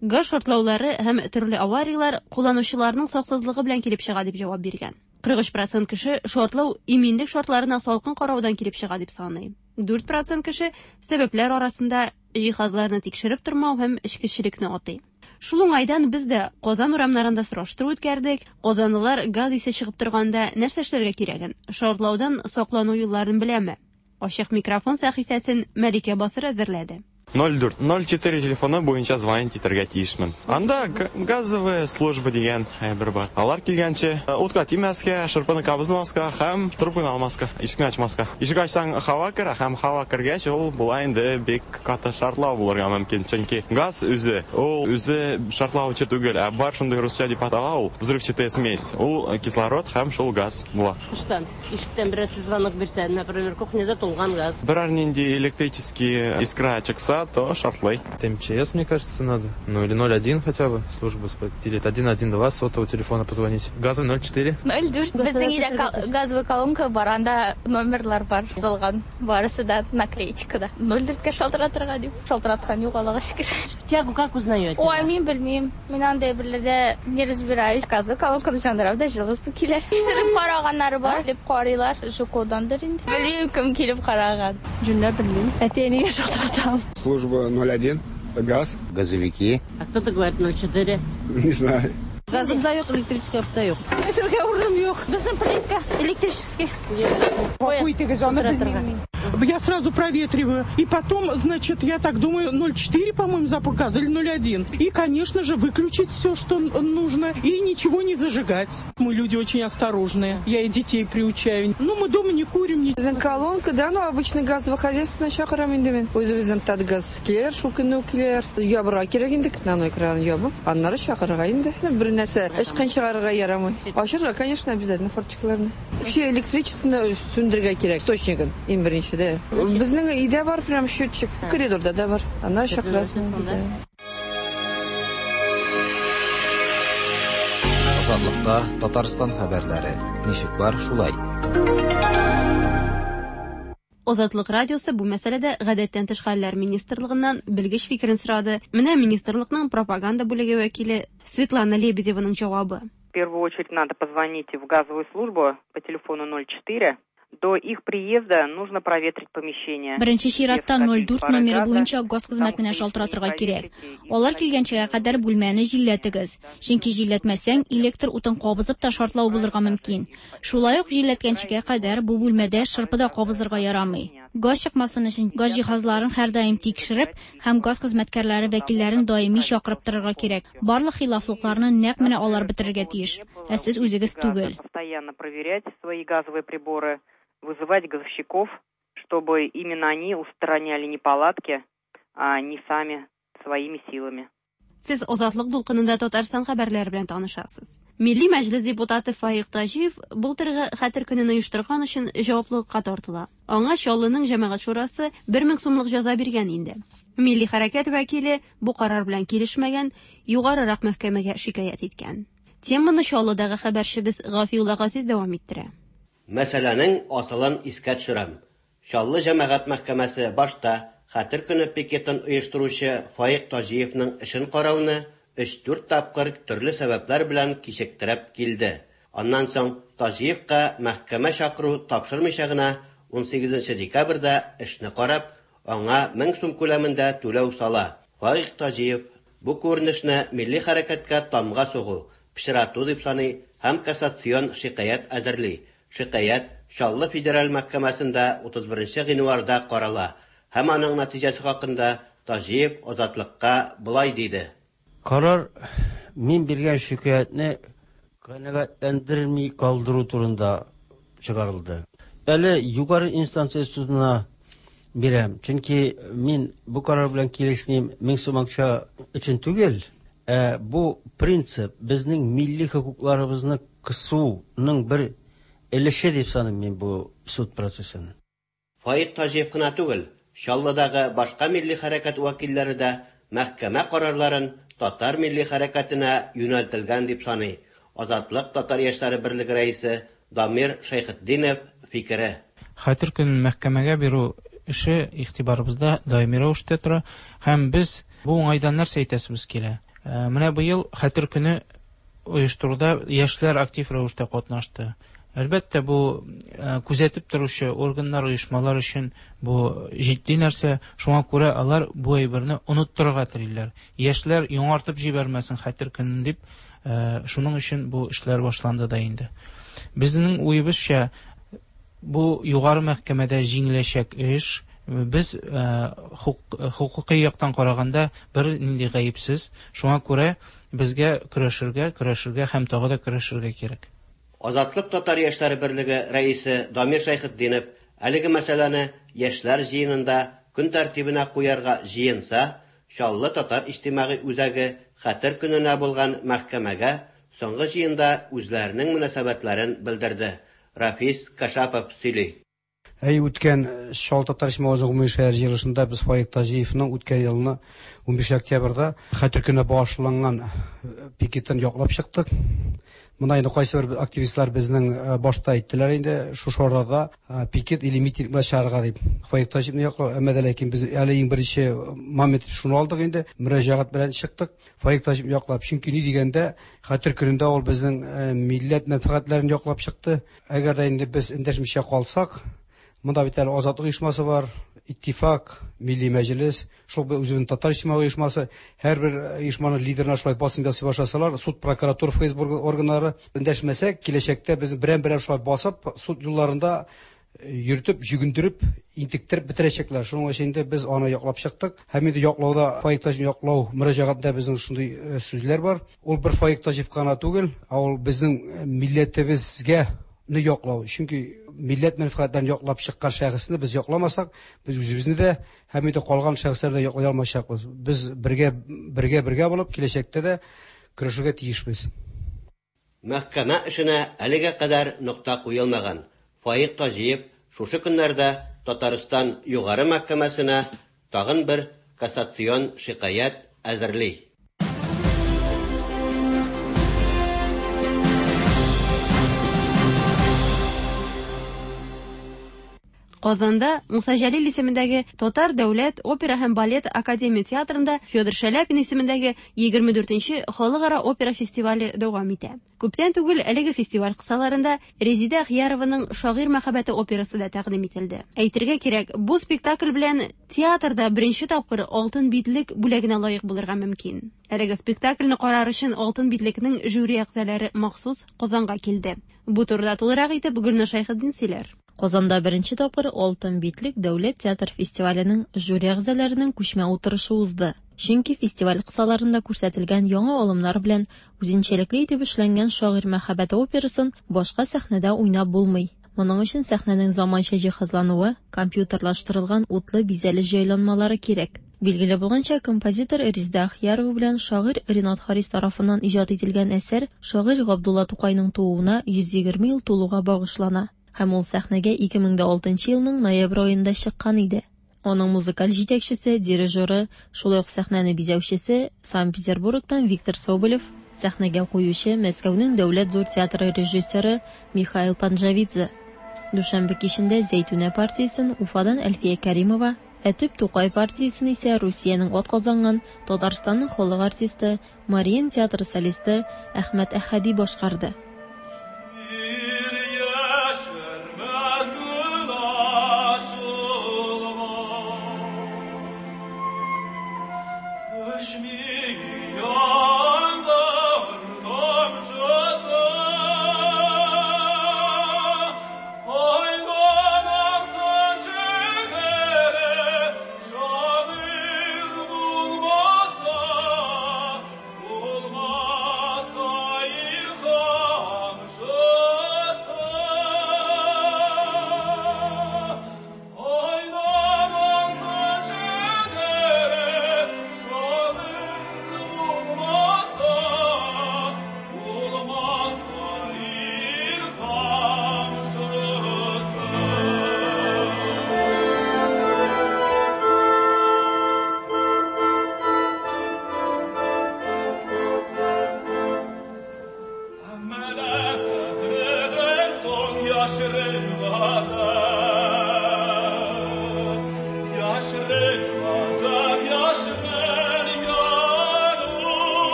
газ шартлаулары һәм төрле аварияләр кулланучыларның саксызлыгы белән килеп чыга дип җавап биргән. Кырык өч процент кеше шартлау иминлек шартларына салкын караудан килеп чыга дип саный. Дүрт процент кеше сәбәпләр арасында җиһазларны тикшереп тормау һәм эчкечелекне атый. Шул уңайдан без дә Казан урамнарында сораштыру үткәрдек. Казанлылар газ исе чыгып торганда нәрсә эшләргә кирәген, шартлаудан саклану юлларын беләме? Ачык микрофон сәхифәсен Мәликә Басыр әзерләде. ноль дүрт ноль четыре телефоны буенча звонить итәргә тиешмен. Анда газовая служба дигән әйбер бар. Алар килгәнче утка тимәскә, шырпыны кабызмаска һәм трубканы алмаска, ишекне ачмаска. Ишек ачсаң һава керә, һәм һава кергәч ул була инде бик каты шартлау булырга мөмкин. Чөнки газ үзе, ул үзе шартлаучы түгел, ә бар шундый русча дип атала ул взрывчатая смесь. Ул кислород һәм шул газ була. Тыштан, ишектән берәрсе звонок бирсә, например, кухняда тулган газ. Берәр нинди электрический искра чыкса, то шартлай. МЧС, мне кажется, надо. Ну или ноль один хотя бы, службу, или один один два сотового телефона позвонить. Газовый ноль четыре. ноль дүрт. Безнең өйдә газовый колонка бар, анда номерлар бар, язылган. Барысы да наклеечкада. ноль дүрткә шалтыратырга дип. Шалтыраткан юк, Аллага шөкер. Тягу как узнаете? Ой, мин белмим. Мин андай берләрдә не разбираюсь. Газовый колонканы яндырам да җылы су килә. Тикшереп караганнары бар, дип карыйлар. ЖКОдандыр инде. Белмим, кем килеп караган. Җүнләп белмим. Әти-әнигә шалтыратам. Служба ноль один, газ. Газовики. А кто-то говорит ноль четыре. Не знаю. Газым да юк, электрический да юк. Эшергә урыным юк. Безнең плитка электрический. Я сразу проветриваю. И потом, значит, я так думаю, ноль четыре, по-моему, запах газа или ноль один. И, конечно же, выключить все, что нужно, и ничего не зажигать. Мы люди очень осторожные. Я и детей приучаю. Ну, мы дома не курим. Не... Колонка, да, ну, обычно газовый хозяйство чакырам инде мин. Үзебезнең Татгаз килер, шул көнне үк килер. Ябырга кирәк инде, на экран ябып, аннары чакырырга инде. Бер нәрсә эчкән чыгарырга ярамый. Ачырга, конечно, обязательно форточкаларны. Вообще электричествоны сүндерергә кирәк, источнигын, иң беренче. Безнең өйдә бар прям счетчик, коридорда да бар. Аннары чакырасың. Азатлыкта Татарстан хәбәрләре. Ничек бар, шулай. Азатлык радиосы бу мәсьәләдә гадәттән тыш хәлләр министрлыгыннан белгеч фикерен сорады. Менә министрлыкның пропаганда бүлеге вәкиле Светлана Лебедеваның җавабы. В первую очередь надо позвонить в газовую службу по телефону ноль четыре. До их приезда нужно проветрить помещение. Беренче чиратта ноль дүрт номеры буенча газ хезмәтенә шалтыратырга кирәк. Алар килгәнчегә кадәр бүлмәне җилләтегез. Чөнки җилләтмәсәң, электр утын кабызып та шартлау булырга мөмкин. Шулай ук җилләткәнчегә кадәр бу бүлмәдә шырпы да кабызырга ярамый. Газ чыкмасын өчен газ җиһазларын һәрдаим тикшереп һәм газ хезмәткәрләре вәкилләрен даими чакырып торырга кирәк. Барлык хилафлыкларны нәкъ менә алар бетерергә тиеш, ә сез үзегез түгел. Постоянно проверять свои газовые приборы, вызывать газовщиков, чтобы именно они устраняли неполадки, а не сами своими силами. Сез Азатлык дулкынында Татарстан хәбәрләре белән танышасыз. Милли Мәҗлес депутаты Фаик Таҗиев былтыргы Хәтер көнен оештырган өчен җаваплылыкка тартыла. Аңа Чаллының җәмәгать шурасы бер мең сумлык җәза биргән инде. Милли хәрәкәт вәкиле бу карар белән килешмәгән, югарырак мәхкәмәгә шикаять иткән. Теманы Чаллыдагы хәбәрчебез Гафиулла Газиз дәвам иттерә. Мәсьәләнең асылын искә төшерәм. Чаллы җәмәгать мәхкәмәсе башта Хәтер көне пикетын оештыручы Фаик Таҗиевның эшен карауны өч-дүрт тапкыр төрле сәбәпләр белән кичектереп килде. Аннан соң Таҗиевка мәхкәмә чакыру тапшырмыйча гына унсигезенче декабрьдә эшне карап, аңа мең сум күләмендә түләү сала. Фаик Таҗиев бу күренешне милли хәрәкәткә тамга сугу, пычрату дип саный һәм кассацион шикаять әзерли. Шикаять Чаллы федераль мәхкәмәсендә утыз беренче гыйнварда карала һәм аның нәтиҗәсе хакында Таҗиев Азатлыкка болай диде. Карар мин биргән шикаятьне канәгатьләндерми калдыру турында чыгарылды. Әле югары инстанция судына бирәм, чөнки мин бу карар белән килешмим, мең сум акча өчен түгел, ә бу принцип безнең милли хокукларыбызны кысуның бер өлеше дип саныйм мин бу суд процессын. Фаик Таҗиев кына түгел, Чаллыдагы башка милли хәрәкәт вәкилләре дә мәхкәмә карарларын татар милли хәрәкәтенә юнәлтелгән дип саный. Азатлык татар яшьләре берлеге рәисе Дамир Шәйхетдинов фикере. Хәтер көнен мәхкәмәгә бирү эше игътибарыбызда даими рәвештә тора һәм без бу уңайдан нәрсә әйтәсебез килә. Менә быел Хәтер көне оештыруда яшьләр актив рәвештә катнашты. Әлбәттә, бу күзәтеп торучы органнар, оешмалар өчен бу җитди нәрсә. Шуңа күрә алар бу әйберне оныттырырга телиләр. Яшьләр яңартып җибәрмәсен Хәтер көнен дип, шуның өчен бу эшләр башланды да инде. Безнең уебызча, бу югары мәхкәмәдә җиңеләчәк эш. Без хукукый яктан караганда бер нинди гаепсез. Шуңа күрә безгә көрәшергә, көрәшергә һәм тагы да көрәшергә кирәк. Азатлык татар яшьләре берлеге рәисе Дамир Шәйхетдинов әлеге мәсьәләне яшьләр җыенында көн тәртибенә куярга җыенса, Чаллы татар иҗтимагый үзәге Хәтер көненә булган мәхкәмәгә соңгы җыенда үзләренең мөнәсәбәтләрен белдерде. Рафис Кашапов сөйли. Әй, үткән Чаллы татар иҗтимагый үзәге гомуми шәһәр җыелышында без Фаик Таҗиевның үткән елны унбишенче октябрьдә Хәтер көненә багышланган пикетын яклап чыктык. Монда инде кайсы бер активистлар безнең башта әйттеләр инде, шушы арада пикет или митинг белән чыгарга дип. Фаик Таҗиевны яклау, әмма дә ләкин без әле иң беренче момент шуны алдык инде, мөрәҗәгать белән чыктык. Фаик Таҗиевны яклап, чөнки ни дигәндә, Хәтер көнендә ул безнең милләт мәнфәгатьләрен яклап чыкты. Әгәр дә инде без эндәшмичә калсак, монда бит әле Азатлык оешмасы бар, Иттифак, Милли Мәҗлес, шул үзенең татар иҗтимагый оешмасы, һәрбер оешманың лидерына шулай басым ясый башласалар, суд, прокуратура, Эф Эс Бэ органнары эндәшмәсәк, киләчәктә без берәм-берәм шулай басып, суд юлларында йөртеп, җөгендереп, интектереп бетерәчәкләр. Шуның өчен инде без аны яклап чыктык. Һәм инде яклауда Фаик Таҗиев яклау мөрәҗәгатендә безнең шундый сүзләр бар. Ул бер Фаик Таҗиев кына түгел, ә ул безнең милләтебезгә не яклау. Чөнки милләт мәнфәгатьләрен яклап чыккан шәхесне без якламасак, без үзебезне дә һәм инде калган шәхесләрне дә яклый алмаячакбыз. Без бергә, бергә, бергә булып киләчәктә дә көрәшергә тиешбез. Мәхкәмә эшенә әлегә кадәр нокта куелмаган. Фаик Таҗиев шушы көннәрдә Татарстан Югары мәхкәмәсенә тагын бер кассацион шикаять әзерли. Казанда Муса Җәлил исемендәге Татар дәүләт опера һәм балет академия театрында Федор Шаляпин исемендәге егерме дүртенче халыкара опера фестивале дәвам итә. Күптән түгел әлеге фестиваль кысаларында Резеда Ахиярованың Шагыйрь мәхәббәте операсы да тәкъдим ителде. Әйтергә кирәк, бу спектакль белән театрда беренче тапкыр Алтын битлек бүләгенә лаек булырга мөмкин. Әлеге спектакльне карар өчен Алтын битлекнең жюри әгъзалары махсус Казанга килде. Бу турыда тулырак итеп Гөлнур Шәйхетдин сөйләр. Казанда беренче тапкыр Алтын битлек дәүләт театр фестиваленең жюри әгъзаларының күчмә утырышы узды. Чөнки фестиваль кысаларында күрсәтелгән яңа алымнар белән үзенчәлекле итеп эшләнгән Шагыйрь мәхәббәте операсын башка сәхнәдә уйнап булмый. Моның өчен сәхнәнең заманча җиһазлануы, компьютерлаштырылган утлы бизәлеш җайланмалары кирәк. Билгеле булганча, композитор Резеда Ахиярова белән шагыйрь Ренат Харис тарафыннан иҗат ителгән әсәр шагыйрь Габдулла Тукайның тууына йөз егерме ел тулуга багышлана. Һәм ул сәхнәгә ике мең дә алтынчы елның ноябрь аенда чыккан иде. Аның музыкаль җитәкчесе, дирижеры, шулай ук сәхнәне бизәүчесе Санкт-Петербургтан Виктор Соболев, сәхнәгә куючы Мәскәүнең дәүләт зур театры режиссеры Михаил Панджавидзе. Дүшәмбе кичендә Зәйтүнә партиясен Уфадан Әлфия Кәримова, Ә төп Тукай партиясен исә Русиянең атказанган Татарстанның халык артисты, Мариин театры солисты Әхмәт Әхәди башкарды.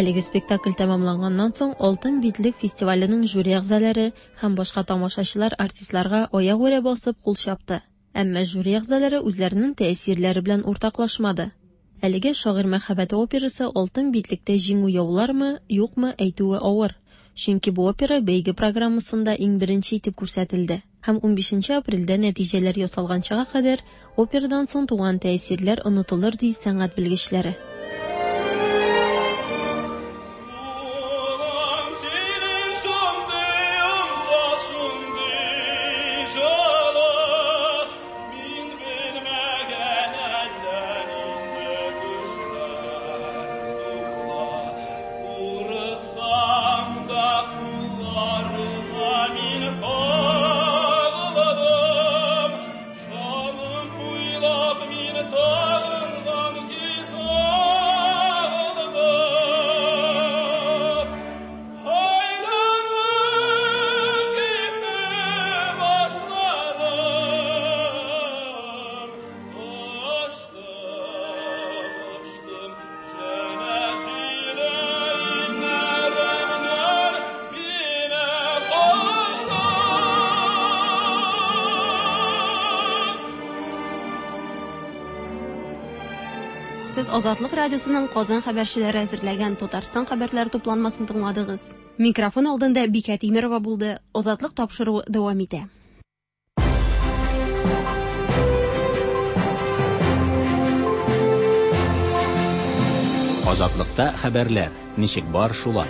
Әлеге спектакль тәмамланганнан соң Алтын битлек фестиваленең жюри әгъзалары һәм башка тамашачылар артистларга аягүрә басып кул чапты. Әмма жюри әгъзалары үзләренең тәэсирләре белән уртаклашмады. Әлеге Шагыйрь мәхәббәте операсы Алтын битлектә җиңү яулармы, юкмы әйтүе авыр. Чөнки бу опера бәйге программасында иң беренче итеп күрсәтелде. Һәм унбишенче апрельдә нәтиҗәләр ясалганчага кадәр операдан соң туган тәэсирләр онытылыр ди сәнгать белгечләре. Сез Азатлык радиосының Казан хәбәрчеләре әзерләгән Татарстан хәбәрләре тупланмасын тыңладыгыз. Микрофон алдында Бикә Тимирова булды. Азатлык тапшыруы дәвам итә. Азатлыкта хәбәрләр ничек бар шулай.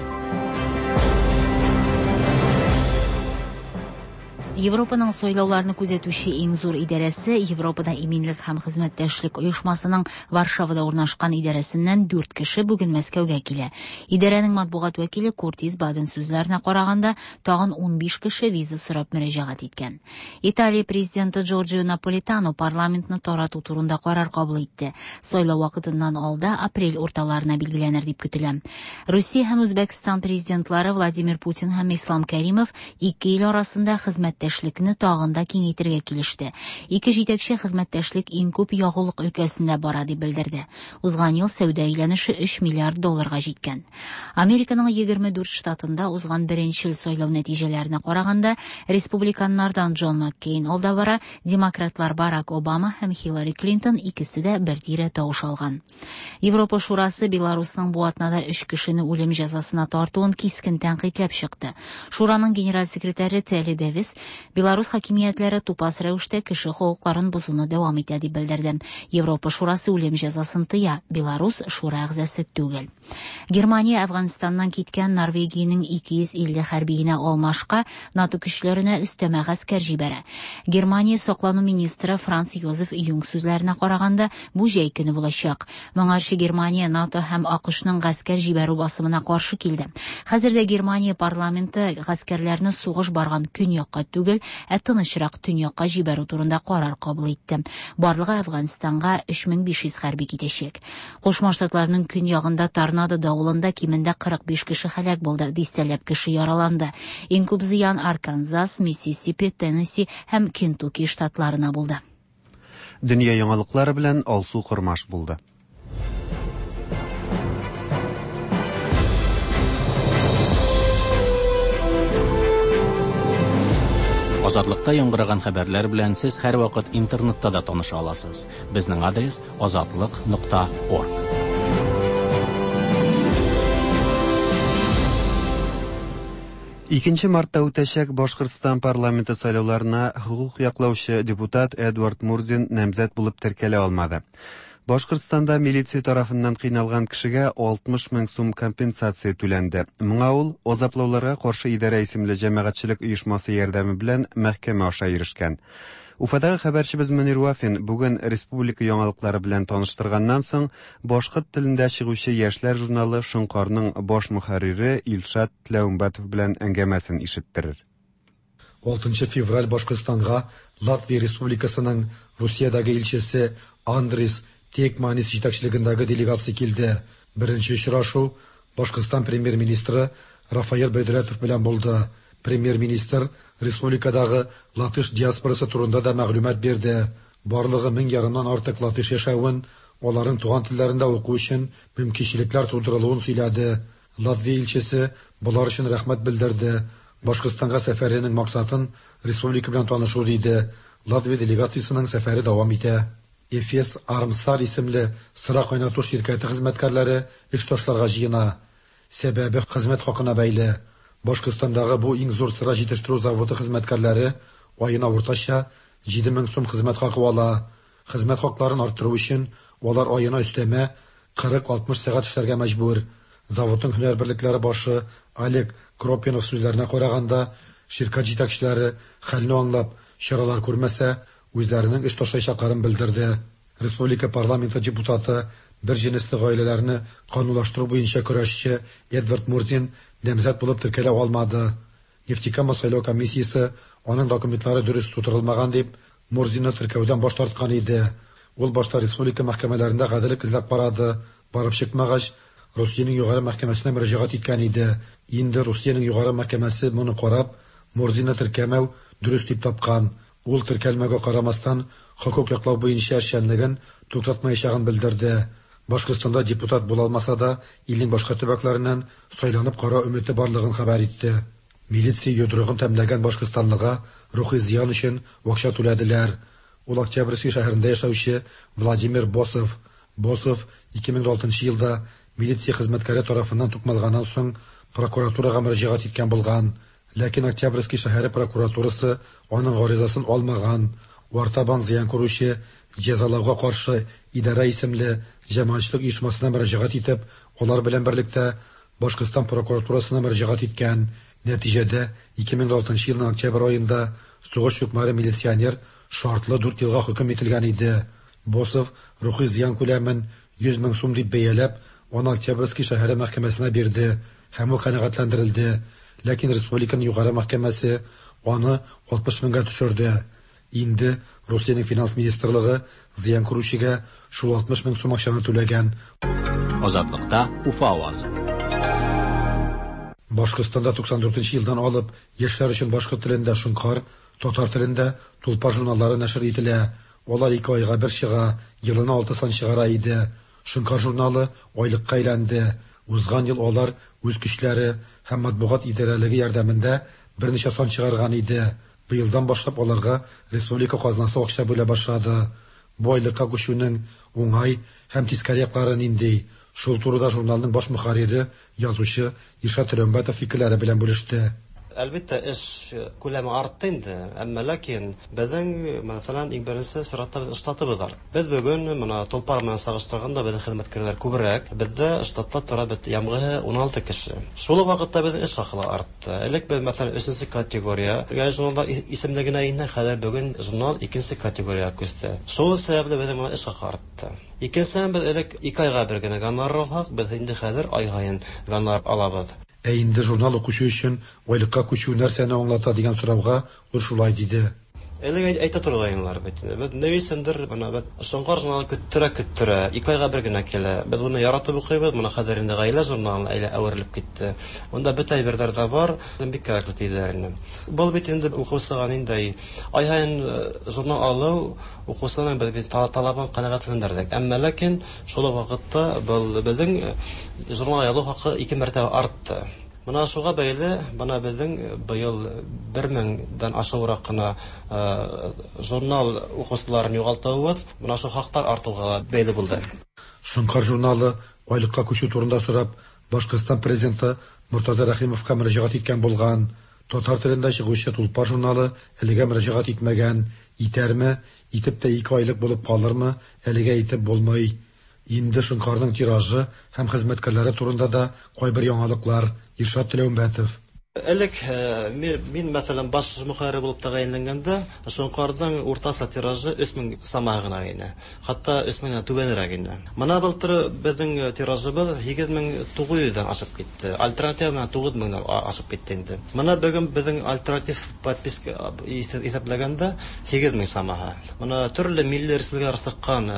Европаның сайлауларны күзәтүче иң зур идарәсе Европада иминлек һәм хезмәттәшлек оешмасының Варшавада урнашкан идарәсеннән дүрт кеше бүген Мәскәүгә килә. Идарәнең матбугат вәкиле Куртис Баден сүзләренә караганда, тагын унбиш кеше виза сорап мөрәҗәгать иткән. Италия президенты Джорджио Наполитано парламентны тарату турында карар кабул итте. Сайлау вакытыннан алда апрель урталарына билгеләнер дип көтелә. Русия һәм Үзбәкстан президентлары Владимир Путин һәм Ислам Кәримов ике ил арасында хезмәттәшлекне тагын да киңәйтергә килеште. Ике җитәкче хезмәттәшлек иң күп ягулык өлкәсендә бара дип белдерде. Узган ел сәүдә әйләнеше өч миллиард долларга җиткән. Американың егерме дүрт штатында узган беренче сайлау нәтиҗәләренә караганда, республиканнардан Джон Маккейн алда бара, демократлар Барак Обама һәм Хиллари Клинтон икесе дә бер тирә тавыш алган. Европа Шурасы Беларусның бу атнада өч кешене үлем җәзасына тартуын кискен тәнкыйтьләп чыкты. Шураның генераль секретаре Телли Дэвис Беларус хакимиятләре тупас рәвештә кеше хокукларын бозуны дәвам итә дип белдерде. Европа Шурасы үлем җәзасын тыя. Беларус шура әгъзасы түгел. Германия Әфганстаннан киткән Норвегиянең ике йөз илле хәрбиенә алмашка НАТО көчләренә өстәмә гаскәр җибәрә. Германия саклану министры Франц Йозеф Юнг сүзләренә караганда, бу җәй көне булачак. Моңарчы Германия НАТО һәм АКШның гаскәр җибәрү басымына каршы килде. Хәзер дә Германия парламенты гаскәрләрне сугыш барган көньякка түгел, ә тынычрак төньякка җибәрү турында карар кабул итте. Барлыгы Әфганстанга өч мең биш йөз хәрби китәчәк. Кушма Штатларның көньягында торнадо давылында кимендә кырык биш кеше һәлак булды, дистәләп кеше яраланды. Иң күп зыян Арканзас, Миссисипи, Теннесси һәм Кентукки штатларына булды. Дөнья яңалыклары белән Алсу Кормаш булды. Азатлыкта яңгыраган хәбәрләр белән сез һәрвакыт интернетта да таныша аласыз. Безнең адрес азатлык нокта орг. Икенче мартта үтәчәк Башкортстан парламенты сайлауларына хокук яклаучы депутат Эдуард Мурзин намзәт булып теркәлә алмады. Башкортстанда милиция тарафыннан кыйналган кешегә алтмыш мең сум компенсация түләнде. Моңа ул азаплауларга каршы идарә исемле җәмәгатьчелек оешмасы ярдәме белән мәхкәмә аша ирешкән. Уфадагы хәбәрчебез Мөнир Вафин бүген республика яңалыклары белән таныштырганнан соң башкорт телендә чыгучы яшьләр журналы Шоңкарның баш мөхәррире Илшат Тләүмбәтов белән әңгәмәсен ишеттерер. Алтынчы февраль Башкортстанга Латвия Республикасының Русиядәге илчесе Андрис Текманис җитәкчелегендәге делегация килде. Беренче очрашу Башкортстан премьер-министры Рафаэль Бәйдүләтов белән булды. Премьер-министр республикадагы латыш диаспорасы турында да мәгълүмат бирде. Барлыгы мең ярымнан артык латыш яшәвен, аларның туган телләрендә уку өчен мөмкинчелекләр тудырылуын сөйләде. Латвия илчесе болар өчен рәхмәт белдерде. Башкортстанга сәфәренең максатын республика белән танышу диде. Латвия делегациясенең сәфәре дәвам итә. Эфес Армстар исемле сыра кайнату ширкәте хезмәткәрләре эш ташларга җыена. Сәбәбе хезмәт хакына бәйле. Башкортстандагы бу иң зур сыра җитештерү заводы хезмәткәрләре аена уртача җиде мең сум хезмәт хакы ала. Хезмәт хакларын арттыру өчен алар аена өстәмә кырык-алтмыш сәгать эшләргә мәҗбүр. Заводның һөнәр берлекләре башы Олег Кропинов сүзләренә караганда, ширкәт җитәкчеләре хәлне аңлап, чаралар күрмәсә, үзләренең эш ташлаячакларын белдерде. Республика парламенты депутаты, бер җенесле гаиләләрне канунлаштыру буенча көрәшче Эдвард Мурзин намзәт булып теркәлә алмады. Нефтекама сайлау комиссиясе аның документлары дөрес тутырылмаган дип Мурзинны теркәүдән баш тарткан иде. Ул башта республика мәхкәмәләрендә гаделлек эзләп карады. Барып чыкмагач, Русиянең югары мәхкәмәсенә мөрәҗәгать иткән иде. Инде Русиянең югары мәхкәмәсе моны карап, Мурзинны теркәмәү дөрес дип тапкан. Ул теркәлмәгә карамастан хокук яклау буенча эшчәнлеген туктатмаячагын белдерде. Башкортстанда депутат була алмаса да, илнең башка төбәкләреннән сайланып карау өмете барлыгын хәбәр итте. Милиция йодрыгын тәмләгән башкортстанлыга рухи зыян өчен акча түләделәр. Ул Октябрьский шәһәрендә яшәүче Владимир Босов. Босов ике мең алтынчы елда милиция хезмәткәре тарафыннан тукмалганнан соң прокуратурага мөрәҗәгать иткән булган. Ләкин Октябрьский шәһәре прокуратурасы аның гаризасын алмаган. Артабан зыян күрүче җәзалауга каршы идарә исемле җәмәгатьчелек оешмасына мөрәҗәгать итеп, алар белән берлектә Башкортстан прокуратурасына мөрәҗәгать иткән. Нәтиҗәдә ике мең алтынчы елның октябрь аенда сугыш чукмары милиционер шартлы дүрт елга хөкем ителгән иде. Босов рухи зыян күләмен йөз мең сум дип бәяләп, аны Октябрьский шәһәре мәхкәмәсенә бирде һәм ул канәгатьләндерелде. Ләкин республиканың югары мәхкәмәсе аны алтмыш меңгә төшерде. Инде Русиянең финанс министрлыгы зыян күрүчегә шул алтмыш мең сум акчаны түләгән. Азатлыкта Уфа авазы. Башкортстанда туксан дүртенче елдан алып яшьләр өчен башкорт телендә Шоңкар, татар телендә Тулпар журналлары нәшер ителә. Алар ике айга бер чыга, елына алты сан чыгара иде. Шоңкар журналы айлыкка әйләнде. Узган ел алар үз көчләре һәм матбугат идарәлеге ярдәмендә берничә сан чыгарган иде. Быелдан башлап аларга республика казнасы акча бүлә башлады. Бу айлыкка күчүнең уңай һәм тискәре яклары нинди? Шул турыда журналның баш мөхәррире, язучы Илшат Тләүмбәтов фикерләре белән бүлеште. Әлбәттә, эш күләме артты инде, әмма ләкин безнең, мәсәлән, иң беренче чиратта без штатыбыз артты. Без бүген менә Толпар белән чагыштырганда безнең хезмәткәрләр күбрәк, бездә штатта тора бит ямгы уналты кеше. Шул ук вакытта безнең эш хакы артты. Элек без, мәсәлән, өченче категория журналдар исемлегенә инде, хәзер бүген журнал икенче категориягә күчте. Шул сәбәпле безнең менә эш хакы артты. Икенчедән, без элек ике айга бер генә гонорар алсак, без инде хәзер ай һаен гонорар алабыз. Ә инде журнал укучы өчен айлыкка күчү нәрсәне аңлата дигән сорауга ул шулай диде. Элек әйтә торгайнылар бит. Без ни өчендер менә без Шоңкар журналы көттерә көттерә, ике айга бер генә килә. Без моны яратып укыйбыз, моны хәзер инде гаилә журналына әйлә әверелеп китте. Монда бөтә әйберләр дә бар, бик кирәкле диделәр инде. Бу бит инде укучыга инде ай һаен журнал алу укучының без бит талабын канәгатьләндердек. Әмма ләкин шул ук вакытта был безнең журнал алу хакы ике мәртәбә артты. Мына шуға бәйле, бына безнең быел бер меңдән ашыграк кына журнал укучыларын югалтуыбыз, мына шу хаклар артуга бәйле булды. Шоңкар журналы айлыкка күчү турында сорап, Башкортстан президенты Муртаза Рәхимовка мөрәҗәгать иткән булган. Татар телендә чыгучы Тулпар журналы әлегә мөрәҗәгать итмәгән. Итәрме, итеп тә ике айлык булып калырмы, әлегә итеп булмый. Инде Шоңкарның тиражы һәм хезмәткәрләре турында да кайбер яңалыклар. Иршат Теләүмбәтов. Элек мин, мәсәлән, баш мөхәррир булып тәгаенләнгәндә, Шоңкарның уртача тиражы өч мең сама гына иде. Хәтта өч меңнән түбәнрәк иде. Мына былтыр безнең тиражыбыз һигез мең тугыз йөздән ашып китте. Альтернатив менә тугыз меңнән ашып китте инде. Мына бүген безнең альтернатив подписка исәпләгәндә һигез мең самаһы. Мына төрле милли республикалар чыккан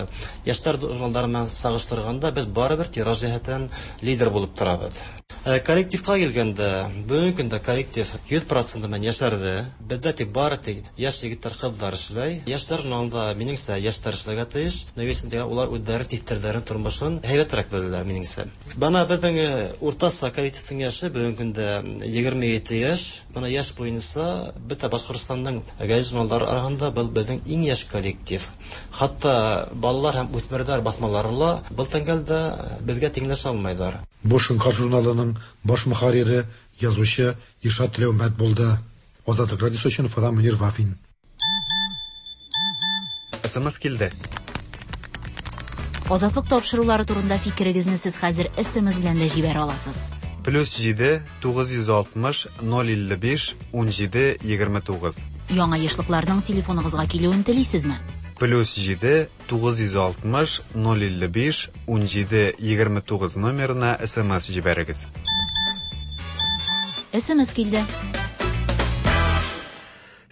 яшьләр журналлары белән чагыштырганда без барыбер тираж җәһәтеннән лидер булып торабыз. Коллективка килгәндә, бүгенге көндә коллектив йөз процент белән яшәрде. Бездә тик бары тик яшь егетләр, кызлар эшләй. Яшьләр журналында минеңчә яшьләр эшләргә тиеш. Нәтиҗәсендә улар үзләре типтерләрен тормышын һәйбәтрәк беләләр минеңчә. Бана безнең уртача коллективның яше бүгенге көндә егерме ете яшь. Бана яшь буенча бөтә Башкортстанның гәзит журналлары арасында был безнең иң яшь коллектив. Хәтта балалар һәм үсмерләр басмалары ла был тәңгәлдә безгә тиңләшә алмыйлар. Бу Шоңкар журналының баш мөхәррире, язучы Иршат Теләүмбәт булды. Азатлык радиосы өчен Уфадан Мөнир Вафин. С М С килде. Азатлык тапшырулары турында фикерегезне сез хәзер С М С белән дә җибәрә аласыз. Плюс җиде тугыз йөз алтмыш ноль илле биш унҗиде егерме тугыз. Яңа ешлыкларның телефоныгызга килүен телисезме? Плюс җиде тугыз йөз алтмыш ноль илле биш унҗиде егерме тугыз номерына С М С җибәрегез. С М С килде.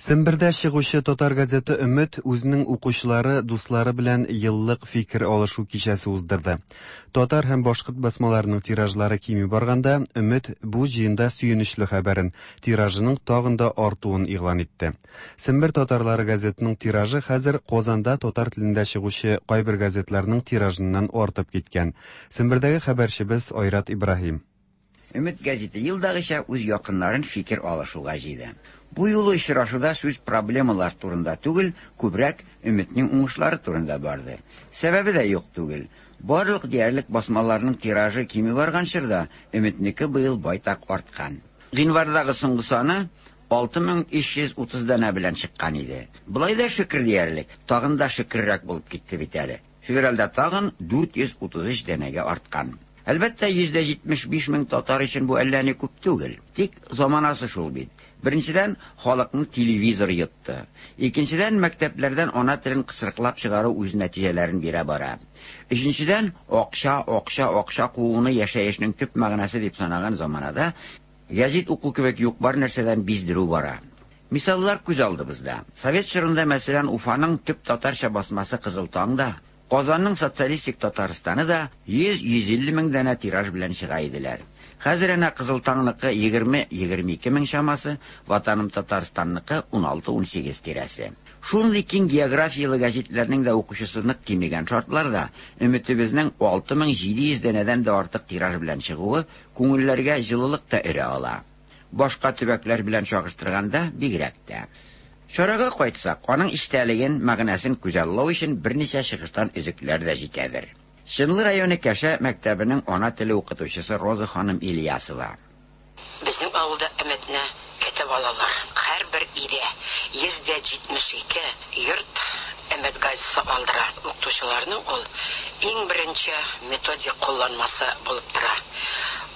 Сембердә чыгучы татар газеты Өмет үзенең укучылары, дуслары белән еллык фикер алышу кичәсе уздырды. Татар һәм башкорт басмаларының тиражлары кими барганда, Өмет бу җыенда сөенечле хәбәрен, тиражының тагын да артуын игълан итте. Сембер татарлары газетының тиражы хәзер Казанда татар телендә чыгучы кайбер газетларның тиражыннан артып киткән. Сембердәге хәбәрчебез Айрат Ибраһим. Өмет газеты елдагыча үз якыннарын фикер алышуга җыйды. Бу юлы очрашуда сүз проблемалар турында түгел, күбрәк Өметнең уңышлары турында барды. Сәбәбе дә юк түгел. Барлык диярлек басмаларның тиражы кими барган чорда Өметнеке быел байтак арткан. Гыйнвардагы соңгы саны алты мең өч йөз утыз данә белән чыккан иде. Болай да шөкер диярлек, тагын да шөкеррәк булып китте бит әле. Февральдә тагын дүрт йөз утыз өч данәгә арткан. Әлбәттә, йөз җитмеш биш мең татар өчен бу әллә ни күп түгел. Тик заманасы шул бит. Беренчедән, халыкны телевизор йотты. Икенчедән, мәктәпләрдән ана телен кысрыклап чыгару үз нәтиҗәләрен бирә бара. Өченчедән, акча, акча, акча кууны яшәешнең төп мәгънәсе дип санаган заманада гәзит уку кебек юк бар нәрсәдән биздерү бара. Мисаллар күз алдыбызда. Совет чорында, мәсәлән, Уфаның төп татарча басмасы Кызыл таң да, Казанның Социалистик Татарстаны да йөз-йөз илле мең данә тираж белән чыга иделәр. Хәзер әнә Кызыл таңныкы егерме-егерме ике мең чамасы, Ватаным Татарстанныкы уналты-унсигез тирәсе. Шундый киң географияле гәзитләрнең дә укучысы нык кимегән шартларда Өметебезнең алты мең җиде йөз данәдән дә артык тираж белән чыгуы күңелләргә җылылык та өрә ала. Башка төбәкләр белән чагыштырганда бигрәк тә. Чарага кайтсак, аның эчтәлеген, мәгънәсен күзаллау өчен берничә чыгыштан өзекләр дә җитәдер. Чынлы районы Кәшә мәктәбенең ана теле укытучысы Роза ханым Ильясова. Безнең авылда Өметне Көтеп алалар. Һәрбер өйдә йөз дә җитмеш ике йорт Өмет газетасы алдыра. Укытучыларның ул иң беренче методик кулланмасы булып тора.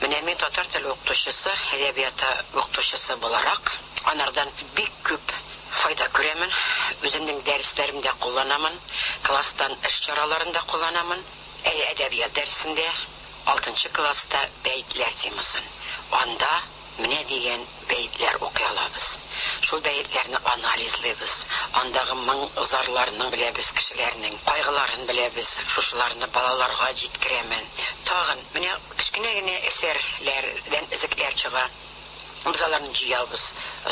Менә мин татар теле укытучысы, әдәбияты укытучысы буларак, анардан бик күп файда күрәмен. Үземнең дәресләремдә кулланамын, класстан эш чараларында кулланамын. Әдәбият дәресендә алтынчы класста бәетләр темасын. Анда менә дигән бәетләр укый алабыз. Шул бәетләрне анализлыйбыз. Андагы моң зарларны беләбез, кешеләрнең кайгыларын беләбез. Шушыларны балаларга җиткерәмен. Тагын менә кечкенә генә әсәрләрдән өзекләр чыга. Без аларны җыябыз,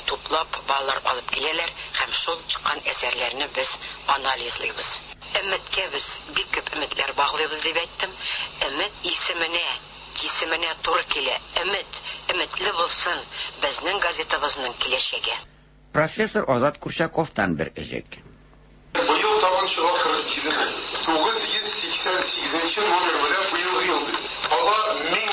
туплап балалар алып киләләр һәм шул чыккан әсәрләрне без анализлыйбыз. Өметкә без бик күп өметләр баглыйбыз дип әйттем. Өмет исеменә, җисеменә туры килә. Өмет, өметле булсын безнең газетабызның киләчәге. Профессор Азат Курчаковтан бер өзек. Быел тагын чыга кырык җиде мең. Тугыз йөз сиксән сигезенче номер белән быелгы ел. Кала мең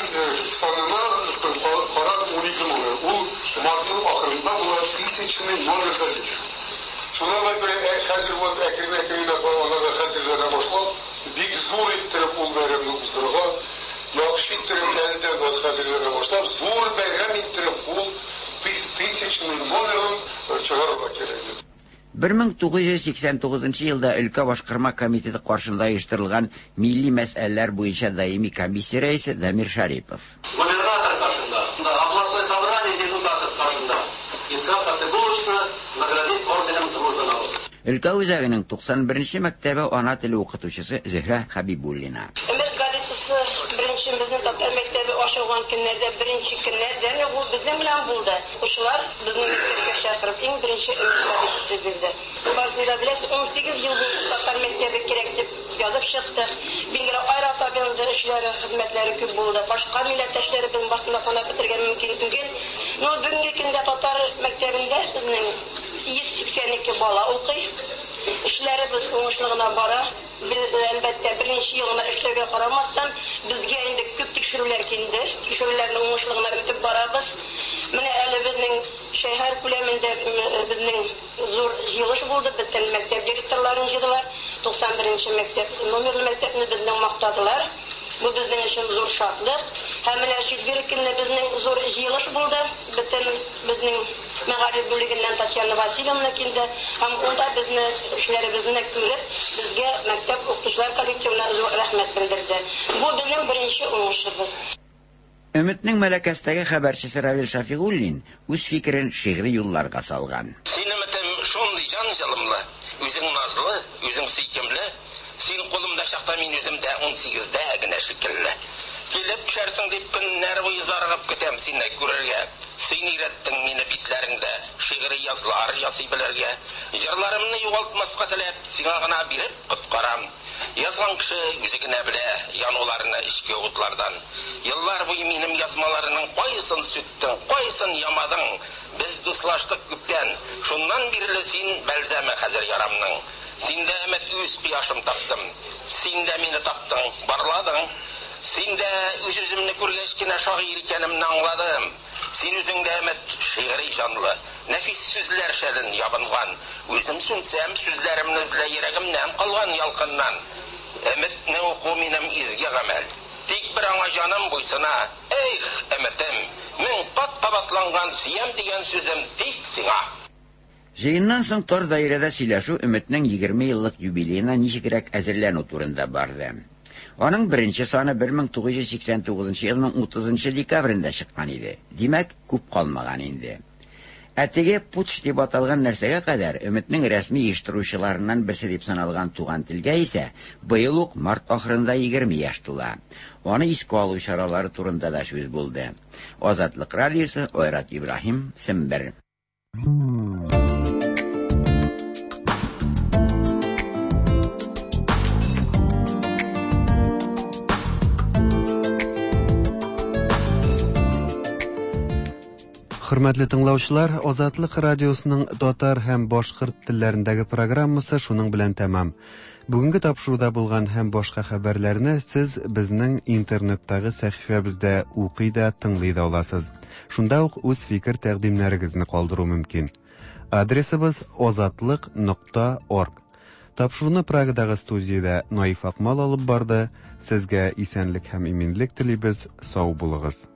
санына карап унике номер. Ул мартның ахырында була тысячный номер газеты. Шуңа күрә хәзер вот әкрен-әкренләп аларга хәзерләнә башлап, бик зур иттереп ул бәйрәмне уздырырга, яхшы иттереп әлдә хәзерләнә башлап, зур бәйрәм иттереп ул тысячный номерын чыгарырга кирәк. бер мең тугыз йөз сиксән тугызынчы елда өлкә башкарма комитеты каршында оештырылган милли мәсьәләләр буенча даими комиссия рәисе Дамир Шарипов. Губернатор каршында, областной собрание депутатов каршында Исхак Хасибулловичны наградить орденом Дружбы народа. Өлкә үзәгенең туксан беренче мәктәбе ана теле укытучысы Зөһрә Хабибуллина. Өмет газетасы беренче безнең татар мәктәбе ачылган көннәрдә беренче көннәрдән ул безнең белән булды. Укучылар безне мәктәпкә чакырып иң беренче Өмет газетасы бирде. Барысын да беләсез, ун сигез ел буе татар мәктәбе кирәк дип язып чыктык. Билгеле, Айрат абыйның да эшләре, хезмәтләре күп булды. Башка милләттәшләребезнең башында санап бетергән мөмкин түгел. Но бүгенге көндә татар мәктәбендә безнең йөз сиксән ике бала укый. Эшләребез уңышлы гына бара. Без әлбәттә беренче елына эшләүгә карамастан безгә инде күп тикшерүләр килде. Тикшерүләрне уңышлы гына үтеп барабыз. Менә әле безнең шәһәр күләмендә безнең зур җыелыш булды. Бөтен мәктәп директорларын җыйдылар. туксан беренче мәктәп номерлы мәктәпне безнең мактадылар. Бу безнең өчен зур шатлык. Һәм менә четверг көнне безнең зур җыелыш булды. Бөтен безнең мәгариф бүлегеннән Татьяна Васильевна килде. Һәм унда безне эшләребезне күреп, безгә мәктәп укытучылар коллективына зур рәхмәт белдерде. Бу безнең беренче уңышыбыз. Өметнең Мәләкәстәге хәбәрчесе Равил Шафигуллин үз фикерен шигъри юлларга салган. Син өметем шундый җан җылымлы, үзең назлы, үзең сөйкемле. Син кулымда чакта мин үземдә ун сигездә генә шикелле. Килеп төшәрсең дип көннәр буе зарыгып көтәм сине күрергә. Син өйрәттең мине битләреңдә шигъри язлар ясый белергә. Җырларымны югалтмаска теләп, сиңа гына биреп коткарам. Язган кеше үзе генә белә януларны эчке утлардан. Еллар буе минем язмаларының кайсын сүттең, кайсын ямадың. Без дуслаштык күптән. Шуннан бирле син бәлзәме хәзер ярамның. Син дә өмет үз кояшым таптым. Син дә мине таптың, барладың. Син дә үз-үземне күргәч кенә шагыйрь икәнемне аңладым. Син үзең дә өмет шигъри җанлы, нәфис сүзләр шәлен ябынган. Үзем сүнсәм, сүзләремне эзлә йөрәгемнән калган ялкыннан. Өметне уку минем изге гамәл. Тик бер аңа җаным буйсына. Эх, өметем, мең кат кабатланган сөям дигән сүзем тик сиңа. Җыеннан соң тар даирәдә сөйләшү Өметнең егерме еллык юбилеена ничегрәк әзерләнү турында барды. Аның беренче саны бер мең тугыз йөз сиксән тугызынчы елның утызынчы декабрендә чыккан иде. Димәк, күп калмаган инде. Ә теге путч дип аталган нәрсәгә кадәр Өметнең рәсми оештыручыларыннан берсе дип саналган Туган телгә исә быел ук март ахырында егерме яшь тула. Аны искә алу чаралары турында да сүз булды. Азатлык радиосы, Айрат Ибраһим, Сембер. Хөрмәтле тыңлаучылар, Азатлык радиосының татар һәм башкорт телләрендәге программасы шуның белән тәмам. Бүгенге тапшыруда булган һәм башка хәбәрләрне сез безнең интернеттагы сәхифәбездә укый да, тыңлый да аласыз. Шунда ук үз фикер тәкъдимнәрегезне калдыру мөмкин. Адресыбыз озатлык нокта орг. Тапшыруны Прагадагы студиядә Наиф Акмал алып барды. Сезгә исәнлек һәм иминлек телибез. Сау булыгыз.